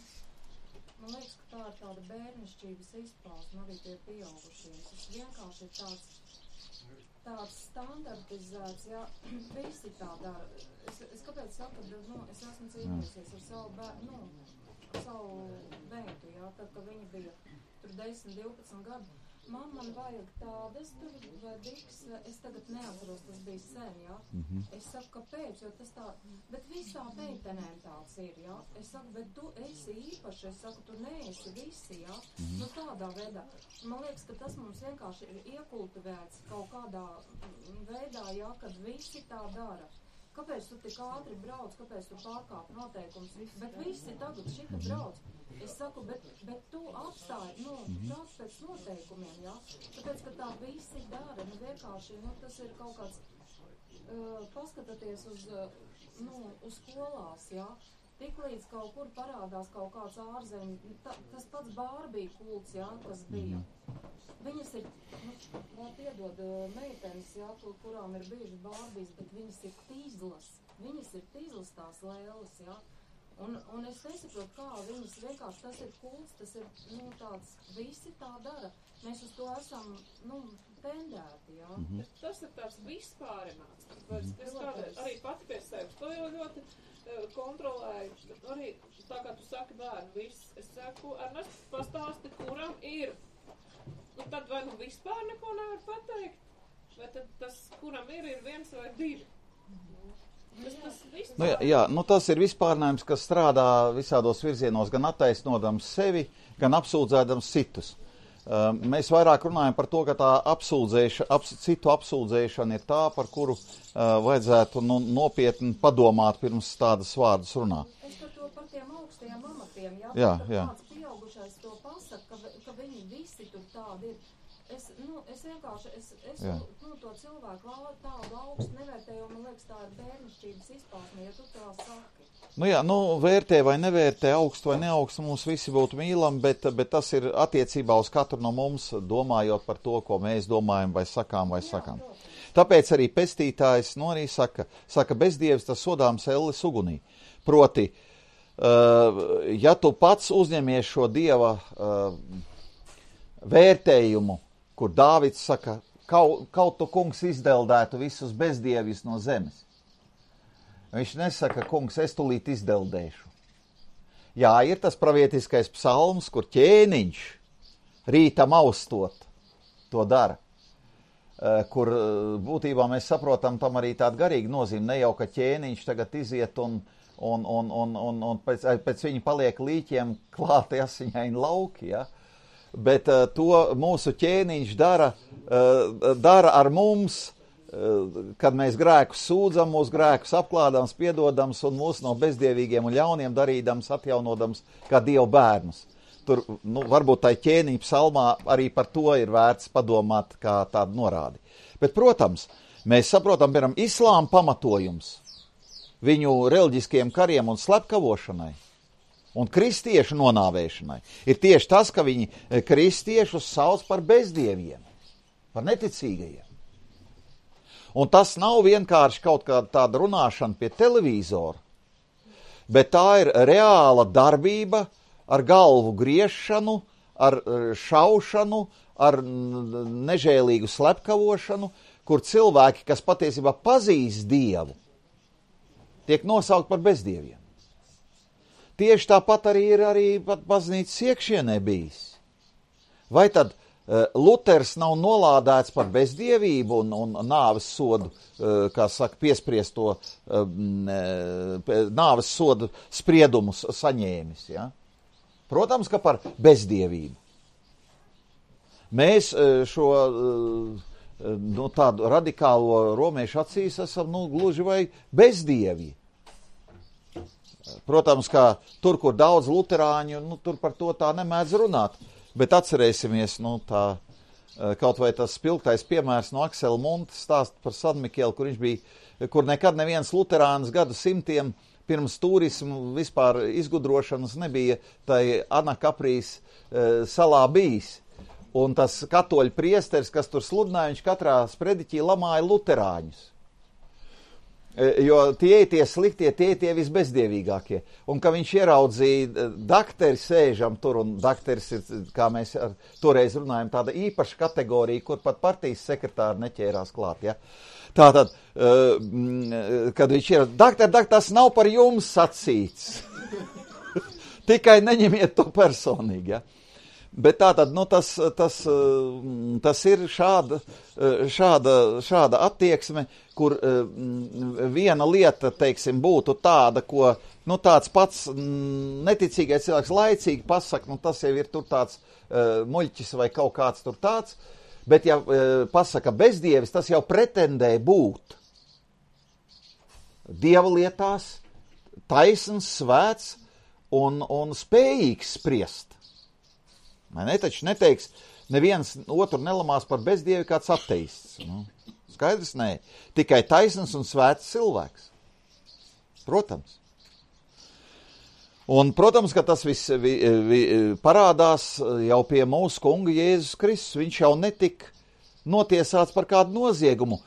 E: man liekas, ka tā ir tāda bērnišķības izpausme, arī tie pieaugušie. Tas vienkārši ir tāds, tāds standartizēts, jā, visi tā dara. Es, es kāpēc saku, ka, nu, es esmu cīnījusies ar savu bērnu, nu, ar savu bērnu, jā, tad, ka viņi bija tur desmit, divpadsmit gadu. Man, man vajag tādas tur, vai diks, es tagad neatceros, tas bija sen, jā. Mm-hmm. Es saku, kāpēc, jo tas tā, bet visā meitenēm tāds ir, jā. Es saku, bet tu esi īpaši, es saku, tu neesi visi, jā. Mm-hmm. Nu tādā veidā. Man liekas, ka tas mums vienkārši ir iekultivēts kaut kādā veidā, jā, kad visi tā dara. Kāpēc tu tik ātri brauc, kāpēc tu pārkāp noteikums, bet visi tagad šita brauc. Es saku, bet, bet tu apstāji, nu, brauc pēc noteikumiem, jā. Tāpēc, ka tā visi dara, nu, vienkārši, nu, tas ir kaut kāds, uh, paskataties uz, uh, nu, uz skolās, jā. Tiklīdz kaut kur parādās kaut kāds ārzemju, ta, tas pats Bārbija kults, jā, kas bija. Viņas ir, nu, vēl piedod meitenes, jā, kur, kurām ir bijušas Bārbijas, bet viņas ir tīzlas. Viņas ir tīzlas tās lēlas, jā. Un, un es nesaprotu, kā viņas vienkārši, tas ir kults, tas ir, nu, tāds, visi tā dara. Mēs uz to esam, nu, tendēti, jā.
B: Mm-hmm. Tas ir tāds vispārināts. Mm-hmm. Es kādreiz arī pati pie sevis to jau ļoti uh, kontrolēju. Arī, tā kā tu saki bērnu, viss, es saku, Ernest, pastāsti, kuram ir. Un tad vai nu vispār neko nevar pateikt, vai tad tas, kuram ir, ir viens vai divi. Tas, tas
A: nu, jā, jā, nu tas ir vispārnājums, kas strādā visādos virzienos, gan attaisnodams sevi, gan apsūdzēdams citus. Uh, mēs vairāk runājam par to, ka tā apsūdzēša, aps, citu apsūdzēšana ir tā, par kuru uh, vajadzētu nu, nopietni padomāt pirms tādas vārdas runā.
E: Es par to par tiem augstajiem amatiem, jā,
A: jā,
E: kad
A: jā.
E: kāds pieaugušais to pasaka, ka, ka viņi visi tur tādi ir. Es, nu, es vienkārši, es, es nu, to cilvēku tādu augstu nevērtēju, man liekas, tā ir bērnišķības izpausme, ja tu tā saki.
A: Nu jā, nu vērtē vai nevērtē, augstu vai neaugstu, mums visi būtu mīlami, bet, bet tas ir attiecībā uz katru no mums, domājot par to, ko mēs domājam vai sakām vai sakām. Jā, tāpēc arī pestītājs, nu arī saka, saka bezdievis tas sodāms elles ugunī. Proti, uh, ja tu pats uzņemies šo dieva uh, vērtējumu, kur Dāvids saka, kaut, kaut tu kungs izdeldētu visus bezdievis no zemes. Viņš nesaka, kungs, es tulīt izdeldēšu. Jā, ir tas pravietiskais psalms, kur ķēniņš rītam austot to dara. Kur būtībā mēs saprotam tam arī tādu garīgu nozīmi. Ne jau, ka ķēniņš tagad iziet un, un, un, un, un, un pēc, pēc viņa paliek līķiem klāti asiņaini lauki, ja? Bet uh, to mūsu ķēniņš dara, uh, dara ar mums, uh, kad mēs grēkus sūdzam, mūsu grēkus apklādams, piedodams un mūs no bezdievīgiem un ļauniem darīdams, atjaunodams kā Dievu bērnus. Tur, nu, varbūt tai ķēniņa psalmā arī par to ir vērts padomāt kā tādu norādi. Bet, protams, mēs saprotam, piemēram, islāma pamatojums viņu reliģiskiem kariem un slepkavošanai un kristiešu nonāvēšanai ir tieši tas, ka viņi kristiešus sauc par bezdieviem, par neticīgajiem. Un tas nav vienkārši kaut kāda tāda runāšana pie televīzora, bet tā ir reāla darbība ar galvu griešanu, ar šaušanu, ar nežēlīgu slepkavošanu, kur cilvēki, kas patiesībā pazīst Dievu, tiek nosaukt par bezdieviem. Tieši tāpat arī ir arī pat baznīcas iekšienē bijis. Vai tad uh, Luters nav nolādēts par bezdievību un, un nāves sodu, uh, kā saka, piespriesto uh, nāves sodu spriedumus saņēmis, ja? Protams, ka par bezdievību. Mēs uh, šo uh, nu, tādu radikālo romiešu acīs esam, nu, gluži vai bezdievi. Protams, kā tur, kur daudz luterāņu, nu, tur par to tā nemēdz runāt, bet atcerēsimies, nu, tā, kaut vai tas spilgtais piemērs no Aksela Munta stāst par San Mikelu, kur viņš bija, kur nekad neviens luterāns gadu simtiem pirms turismu vispār izgudrošanas nebija tai Anakaprīs e, salā bijis. Un tas katoļu priesteris, kas tur sludināja, viņš katrā sprediķī lamāja luterāņus. E, jo tie tie sliktie, tie tie visbezdievīgākie. Un ka viņš ieraudzīja dakteri sēžam tur, un dakteris ir, kā mēs ar, toreiz runājam, tāda īpaša kategorija, kur pat partijas sekretāri neķērās klāt, ja. Tātad, uh, kad viņš ir, dakter, dakter, tas nav par jums sacīts. Tikai neņemiet to personīgi, ja. Bet tātad, nu, tas, tas, tas ir šāda, šāda, šāda attieksme, kur viena lieta, teiksim, būtu tāda, ko, nu, tāds pats neticīgais cilvēks laicīgi pasaka, nu, tas jau ir tur tāds uh, muļķis vai kaut kāds tur tāds. Bet, ja e, pasaka bezdievis, tas jau pretendē būt dieva lietās, taisns, svēts un, un spējīgs spriest. Man netaču neteiks, neviens otru nelamās par bezdievi kāds ateists. Nu, skaidrs, nē. Tikai taisns un svēts cilvēks. Protams. Un, protams, ka tas viss vi, vi, parādās jau pie mūsu kunga Jēzus Kristus. Viņš jau netika notiesāts par kādu noziegumu.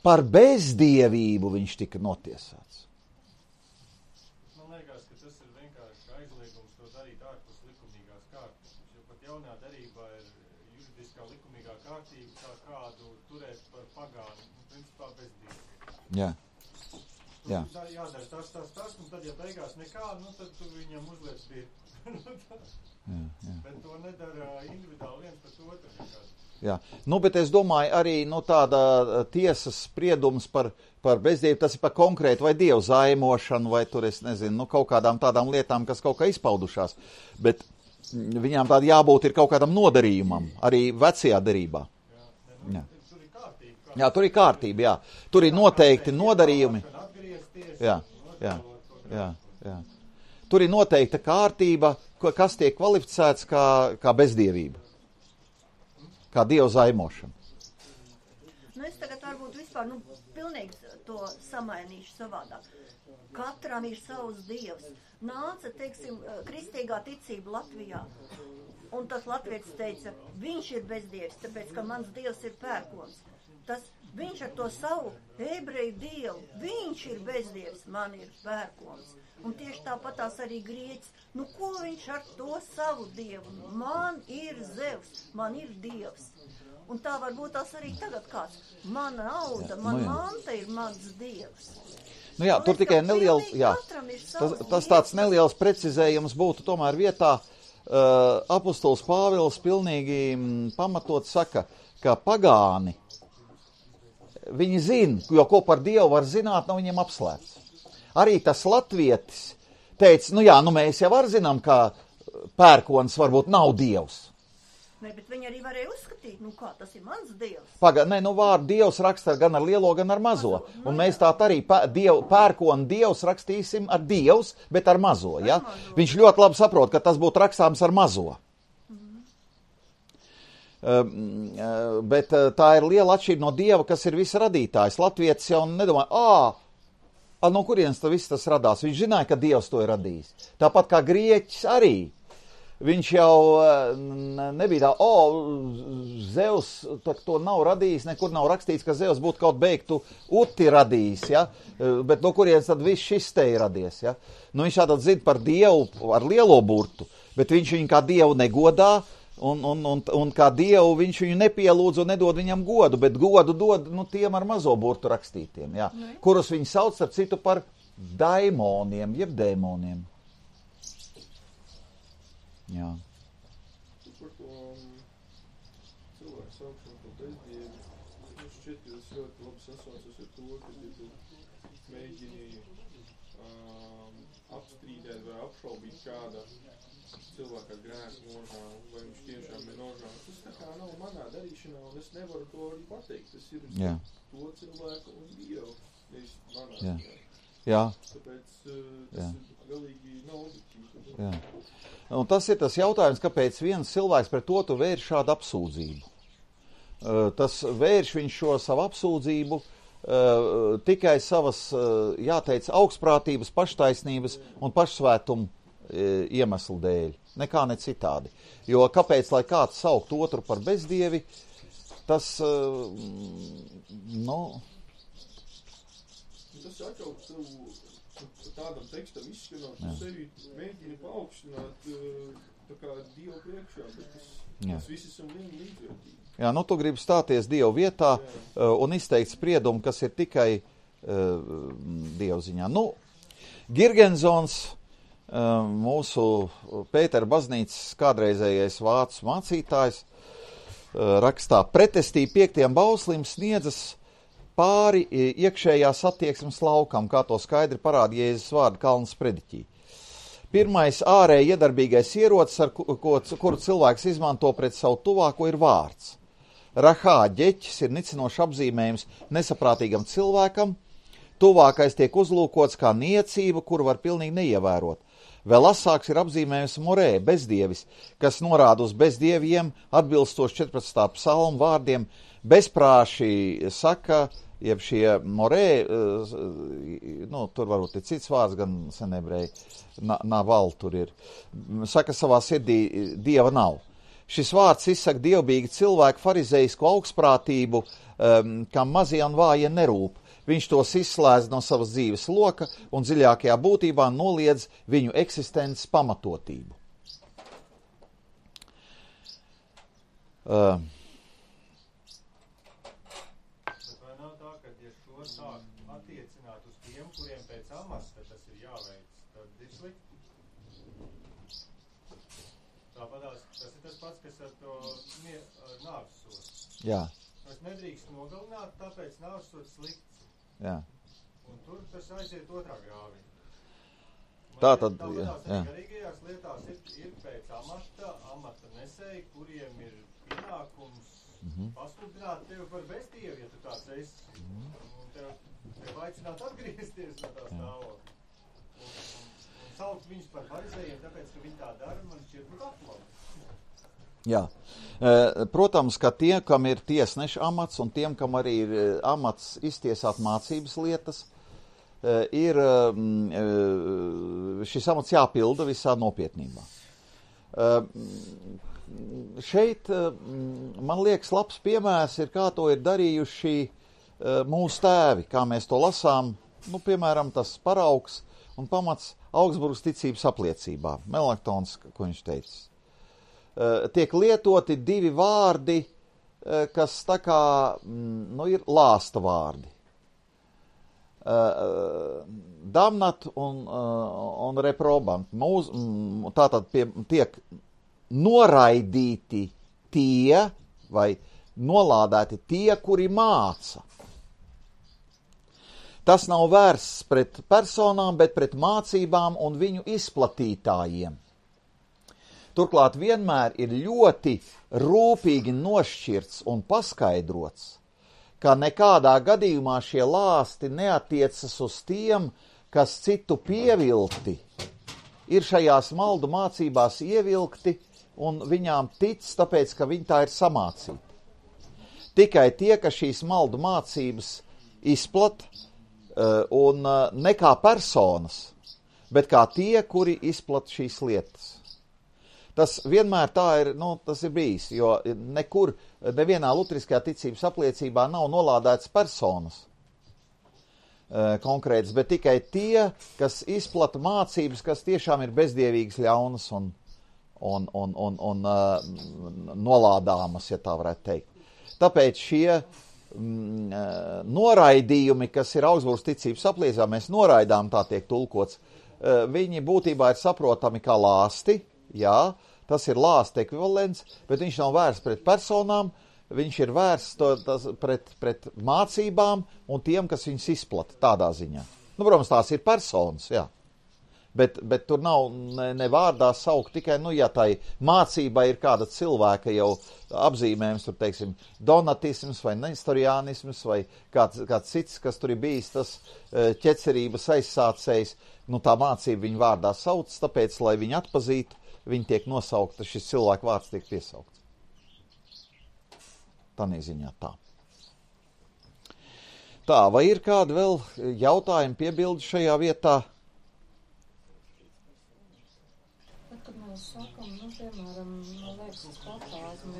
A: Par bezdievību viņš tika notiesāts.
D: Man liekas, ka tas ir vienkārši aizliegums to darīt ārpus likumīgās kārtības. Jo pat jaunā darībā ir juridiskā likumīgā kārtība, kā kādu turēt par pagānu, nu, principā bezdievu.
A: Jā. Jā.
D: Jādara tas, tas, tas, un tad, ja beigās nekā, nu, tad tu viņam uzliec pirkt.
A: jā, jā.
D: Bet to nedara individuāli viens pēc otru.
A: Jā, nu, bet es domāju arī, nu, tāda tiesas spriedums par, par bezdievu, tas ir par konkrētu vai dievu zaimošanu, vai tur, es nezinu, nu, kaut kādām tādām lietām, kas kaut kā izpaudušās. Bet viņām tāda jābūt ir kaut kādam nodarījumam, arī vecajā derībā.
D: Jā, ne, nu,
A: jā.
D: Tur ir kārtība.
A: Jā, tur ir kārtība, jā. Tur ir noteikti nodarījumi. Jā, jā, jā, jā. Tur ir noteikta kārtība, kas tiek kvalificēts kā, kā bezdievība, kā dievu zaimošana.
F: Nu, es tagad varbūt vispār, nu, pilnīgi to samainīšu savādāk. Katram ir savs dievs. Nāca, teiksim, kristīgā ticība Latvijā, un tas latvietis teica, viņš ir bezdievis, tāpēc, ka mans dievs ir pērkons. Tas viņš ar to savu ebreju dievu, viņš ir bezdievis, man ir pērkons. Un tieši tāpatās arī grieķis, nu ko viņš ar to savu dievu? Man ir Zevs, man ir dievs. Un tā varbūt tās arī tagad kāds. Mana nauda, man
A: nu,
F: manta ir mans dievs.
A: Nu jā,
F: Un
A: tur tikai neliels, jā, tas, tas tāds neliels precizējums būtu tomēr vietā. Uh, apostols Pāvils pilnīgi m, pamatot saka, ka pagāni viņi zina, jo ko par Dievu var zināt, nav viņiem apslēpts. Arī tas latvietis teica, nu jā, nu mēs jau var zinām, ka pērkons varbūt nav Dievs.
F: Ne, bet viņi arī varēja uzskatīt, nu kā, tas ir mans dievs.
A: Paga, ne, nu vārdu Dievs raksta gan ar lielo, gan ar mazo. mazo. Un mēs tā arī diev, pērkonu Dievs rakstīsim ar Dievs, bet ar mazo, ja? Ar mazo. Viņš ļoti labi saprot, ka tas būtu rakstāms ar mazo. Uh, bet uh, tā ir liela atšķirība no Dieva, kas ir visa radītājs. Latvietis jau nedomā, ā, no kurienes tas viss tas radās. Viņš zināja, ka Dievs to ir radījis. Tāpat kā grieķis arī. Viņš jau uh, nebija tā, o, Zeus to nav radījis, nekur nav rakstīts, ka Zeus būtu kaut beigtu uti radījis, ja? Uh, bet no kurienes tad viss šis te ir radies, ja? Nu, viņš tātad zina par Dievu ar lielo burtu, bet viņš viņu kā Dievu negodā, Un, un, un, un kā Dievu viņš viņu nepielūdz un nedod viņam godu, bet godu dod nu, tiem ar mazo burtu rakstītiem, jā, ne? Kurus viņi sauc ar citu par daimoniem, jeb dēmoniem. Jā.
G: Par to um, cilvēku saukšanu par bezdievi, es šķiet, ka tas ļoti labi sasaucas ar to, ka tu mēģini um, apstrīdēt vai apšaubīt kāda cilvēkā grēku nožālu, vai viņš tiešām ir nožālu. Tas tā kā nav manā darīšanā, un es nevaru to arī pateikt. Tas ir
A: Jā.
G: to cilvēku un Dievu, nevis manā.
A: Jā. Jā.
G: Tāpēc uh, tas
A: Jā.
G: ir galīgi nav objektīvi.
A: Jā. Un tas ir tas jautājums, kāpēc viens cilvēks pret otru vērš šādu apsūdzību. Uh, tas vērš viņš šo savu apsūdzību uh, tikai savas, uh, jāteic, augstprātības, paštaisnības un pašsvētumu iemeslu dēļ, nekā ne citādi. Jo kāpēc, lai kāds saukt otru par bezdievi, tas, uh, nu...
G: Tas atkal savu tādam tekstam izskanot, tu sevi mēģini paaugstināt tā kā Dievu priekšā, bet tas, tas visi esam vieni līdzvērtīgi.
A: Jā, nu tu gribi stāties Dievu vietā uh, un izteikt spriedumu, kas ir tikai uh, Dievu ziņā. Nu, Girgensons, mūsu Pētera baznīcas kādreizējais vācu mācītājs, rakstā: pretestī piektajam bauslim sniedzas pāri iekšējās attieksmes laukam, kā to skaidri parāda Jēzus vārdi Kalnas prediķī. Pirmais ārēji iedarbīgais ierocis, ar ko, kuru cilvēks izmanto pret savu tuvāko, ir vārds. Rahā ģeķis ir nicinošs apzīmējums nesaprātīgam cilvēkam, tuvākais tiek uzlūkots kā niecība, kuru var pilnīgi neievērot. Vēl asāks ir apzīmējums morē, bezdievis, kas norāda uz bezdieviem, atbilstoši četrpadsmitā psalmu vārdiem. Bezprāši saka, jeb šie morē, nu, tur varbūt ir cits vārds, gan senebreji, naval tur ir, saka savā sirdī, dieva nav. Šis vārds izsaka dievbīgi cilvēku farizejisku augstprātību, um, kam mazie un vājie nerūp. Viņš tos izslēdz no savas dzīves loka un dziļākajā būtībā noliedz viņu eksistences pamatotību. Uh.
D: Bet vai nav tā, ka ja šo sāk attiecināt uz tiem, kuriem pēc amata tas ir jāveic, tad ir slikti? Tāpatās, tas ir tas pats, kas ar to nāvsodu.
A: Jā.
D: Es nedrīkst nogalināt, tāpēc nāvsods slikts.
A: Jā.
D: Un tur tas aiziet otrā grāvī.
A: Tā tad, jā, jā.
D: Garīgajās lietās ir, ir pēc amata, amata nesēji, kuriem ir pienākums mm-hmm. pasludināt tevi par bezdievu, ja tu tāds esi. Mm-hmm. Un tev, tev aicināt atgriezties no tā stāvokļa. Un, un, un saukt viņus par farizējiem, tāpēc, ka viņi tā dara, man šķiet būtu atklāt.
A: Jā. Protams, ka tie, kam ir tiesneša amats un tiem, kam arī ir amats iztiesāt mācības lietas, ir šis amats jāpilda visā nopietnībā. Šeit, man liekas, labs piemērs ir, kā to ir darījuši mūsu tēvi, kā mēs to lasām, nu, piemēram, tas paraugs un pamats Augsburgas ticības apliecībā, Melaktons, ko viņš teica. Tiek lietoti divi vārdi, kas tā kā, nu, ir lāsta vārdi. Damnat un, un reprobant. Mūs, tātad pie, tiek noraidīti tie, vai nolādēti tie, kuri māca. Tas nav vērsts pret personām, bet pret mācībām un viņu izplatītājiem. Turklāt vienmēr ir ļoti rūpīgi nošķirts un paskaidrots, ka nekādā gadījumā šie lāsti neatiecas uz tiem, kas citu pievilkti, ir šajās maldu mācībās ievilkti un viņām tic, tāpēc, ka viņi tā ir samācīti. Tikai tie, ka šīs maldu mācības izplat un ne kā personas, bet kā tie, kuri izplat šīs lietas. Tas vienmēr tā ir, nu, tas ir bijis, jo nekur, nevienā lutriskajā ticības apliecībā nav nolādēts personas e, konkrētas, bet tikai tie, kas izplata mācības, kas tiešām ir bezdievīgas, ļaunas un, un, un, un, un uh, nolādāmas, ja tā varētu teikt. Tāpēc šie mm, noraidījumi, kas ir Augsburgas ticības apliecībā, mēs noraidām, tā tiek tulkots, uh, viņi būtībā ir saprotami kā lāsti. Jā, tas ir lāsta ekvivalents, bet viņš nav vērsts pret personām, viņš ir vērsts to, tas, pret, pret mācībām un tiem, kas viņus izplata tādā ziņā. Nu, protams, tās ir personas, jā. Bet, bet tur nav ne, ne vārdā saukt tikai, nu, ja tai mācībai ir kāda cilvēka jau apzīmējums, tur, teiksim, donatisms vai nestoriānisms vai kāds, kāds cits, kas tur ir bijis tas ķecerības aizsācējs, nu, tā mācība viņu vārdā sauc, tāpēc, lai viņu atpazītu, viņi tiek nosaukta, šis cilvēku vārds tiek piesaukts. Tādā ziņā tā. Tā, vai ir kādi vēl jautājumi, piebildi šajā vietā?
E: Kad mēs sakam, nu, piemēram, man liekas, tas patās, un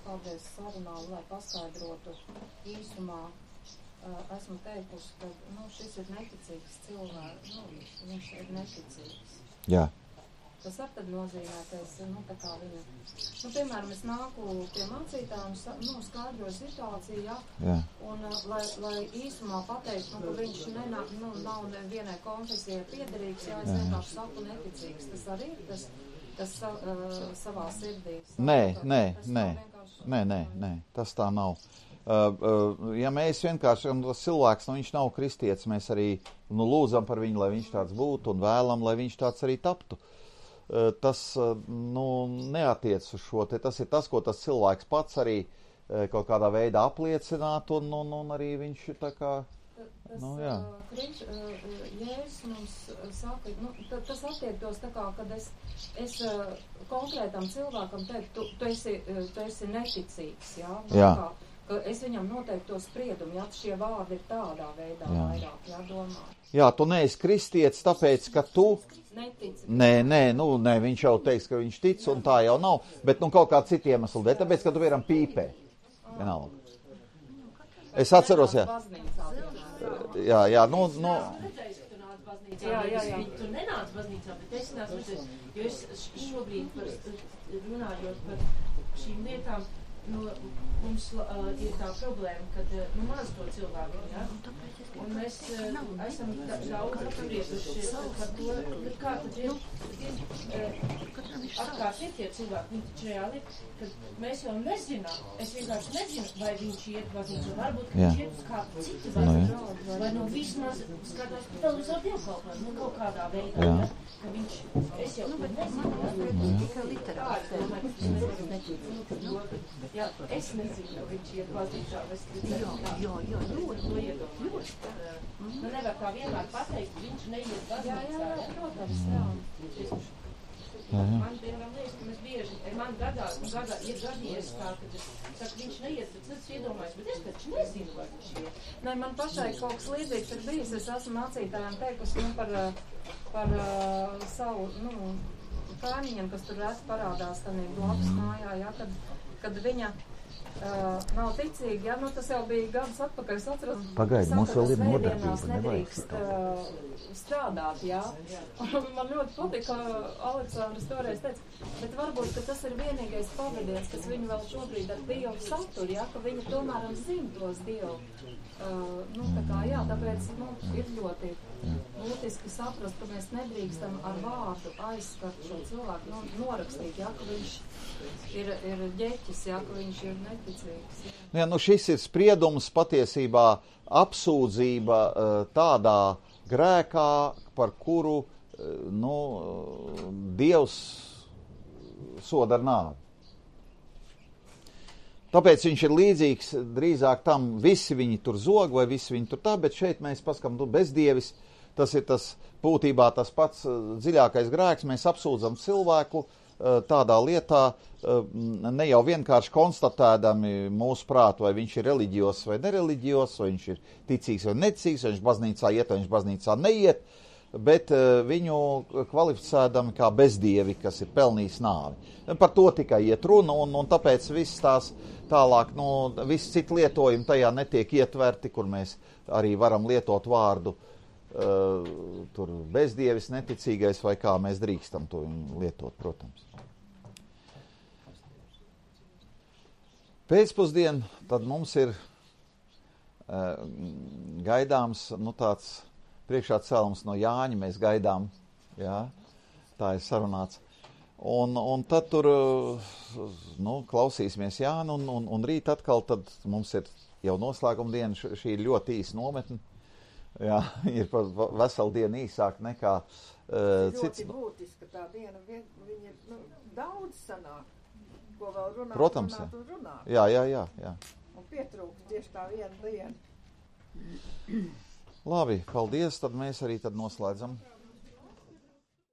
E: kādreiz sarunā, lai paskaidrotu īsumā, uh, esmu teikusi, ka, nu, šis ir neticīgs cilvēks, nu, viņš ir neticīgs.
A: Jā.
E: Tas var tad nozīmē, ka es, nu, tā kā viņa, nu, piemēram, es nāku pie mācītājiem, nu, skaidroju situāciju, ja,
A: Jā.
E: un, lai, lai īsumā pateikt, nu, ka viņš nenā, nu, nav nevienai konfesijai piederīgs, ja es vienkārši saku neticīgs, tas arī ir tas, tas uh, savā sirdī.
A: Nē, nē,
E: tas
A: nē, nē, nē, nē, tas tā nav. Uh, uh, ja mēs vienkārši, un tas cilvēks, nu, viņš nav kristietis, mēs arī, nu, lūdzam par viņu, lai viņš tāds būtu, un vēlam, lai viņš tāds arī taptu. Uh, tas, uh, nu, neatiec uz šo, te tas ir tas, ko tas cilvēks pats arī uh, kaut kādā veidā apliecinātu, un, un, un arī viņš ir tā kā,
E: Tas,
A: nu, jā.
E: Kriņš, Jēzus mums saka, nu, tas attiektos tā kā, kad es, es konkrētam cilvēkam teiktu, tu, tu, esi, tu esi neticīgs, jā?
A: Jā.
E: Kā, ka es viņam noteikti to spriedumu, jā, šie vārdi ir tādā veidā
A: Jā.
E: vairāk, jā, domā.
A: Jā, tu neesi kristietis, tāpēc, ka tu...
E: Netici.
A: Nē, nē, nu, nē, viņš jau teiks, ka viņš tic, un tā jau nav, bet, nu, kaut kā citi iemesli dēļ, tāpēc, ka tu vienam pīpē. Vienalga. Es atceros, jā. Jā, jā, nu, nu.
C: Jā, jā, jā. Tu nenāc baznīcā, bet es nācu redzēt, jo es šobrīd par, runājot par šīm lietām, nu, mums uh, ir tā problēma, kad, nu, maz to cilvēku, jā, un mēs uh, esam daudz apsprieduši par to, kā tad ir, atkārt ir tie cilvēki, viņi taču reāli, kad mēs jau nezinām, es vienkārši nezinu, vai viņš iet baznīcu, varbūt, ka viņš iet uz kādu citu baznīcu, vai nu vismaz skatās televizoru dievkalpojumu, nu, kaut kādā veidā, ja, ka viņš, es jau to nezinu, ja, tikai literāli, jā, es nezinu, ka viņš iet baznīcā, vai es
F: Jā, jā, jā, ļoti,
C: to iedomājos. Nu, nevar tā vienmēr pateikt, viņš neiet baznīcā.
E: Jā, jā, protams, jā.
C: Man, piemēram, liekas, ka mēs bieži, man gadā, gadā ir gadījies tā, ka es saku, viņš neiet, bet es iedomājos, bet es taču nezinu, vai viņš iet.
E: Nē, man pašai kaut kas līdzīgs ir bijis, es esmu mācītājiem teikusi, nu, par, par uh, savu, nu, kaimiņiem, kas tur reti parādās, tad blakus mājā, ja, kad, kad viņa Uh, nav ticīgi, ja, nu tas jau bija gadus atpakaļ, es atceros,
A: Pagaid, mums vēl ir nodarbība,
E: svētdienās
A: nevajag
E: nedrīkst uh, strādāt, jā. Un man ļoti patika, Aleksandrs toreiz teica, bet varbūt, ka tas ir vienīgais pavadiens, kas viņu vēl šobrīd ar Dievu satur, jā, ka viņi tomēr zina tos Dievu. Uh, nu, tā kā, jā, tāpēc, nu, ir ļoti būtiski saprast, ka mēs nedrīkstam ar vārdu aizskart šo cilvēku, nu, norakstīt, jā, ka viņš ir, ir ģeķis, jā, ka viņš ir neticīgs. Jā.
A: Jā, nu šis ir spriedums patiesībā apsūdzība tādā grēkā, par kuru, nu, Dievs soda ar nāvi. Tāpēc viņš ir līdzīgs drīzāk tam, visi viņi tur zog vai visi viņi tur tā, bet šeit mēs paskam, nu, bezdievis, tas ir tas būtībā tas pats dziļākais grēks, mēs apsūdzam cilvēku tādā lietā, ne jau vienkārši konstatēdami mūsu prātu, vai viņš ir reliģijos vai nereliģijos, vai viņš ir ticīgs vai neticīgs, vai viņš baznīcā iet, vai viņš baznīcā neiet, bet viņu kvalificēdami kā bezdievi, kas ir pelnījis nāvi. Par to tikai iet runa, un, un tāpēc viss tās tālāk, nu, viss citi lietojumi tajā netiek ietverti, kur mēs arī varam lietot vārdu uh, tur bezdievis, neticīgais, vai kā mēs drīkstam to lietot, protams. Pēcpusdien, tad mums ir uh, gaidāms, nu, tāds priekšā cēlums no Jāņa, mēs gaidām, jā, tā ir sarunāts. Un, un tad tur, nu, klausīsimies Jānu, un, un, un rīt atkal tad mums ir jau noslēguma diena, šī ir ļoti īsa nometne. Jā, ir pa veselu dienu īsāk nekā uh, cits.
H: Ļoti būtiski tā diena, viņa nu, daudz sanāk, ko vēl runāt,
A: Protams,
H: runāt un runāt.
A: Jā, jā, jā, jā.
H: Un pietrūkst tieši tā viena diena.
A: Labi, paldies, tad mēs arī tad noslēdzam.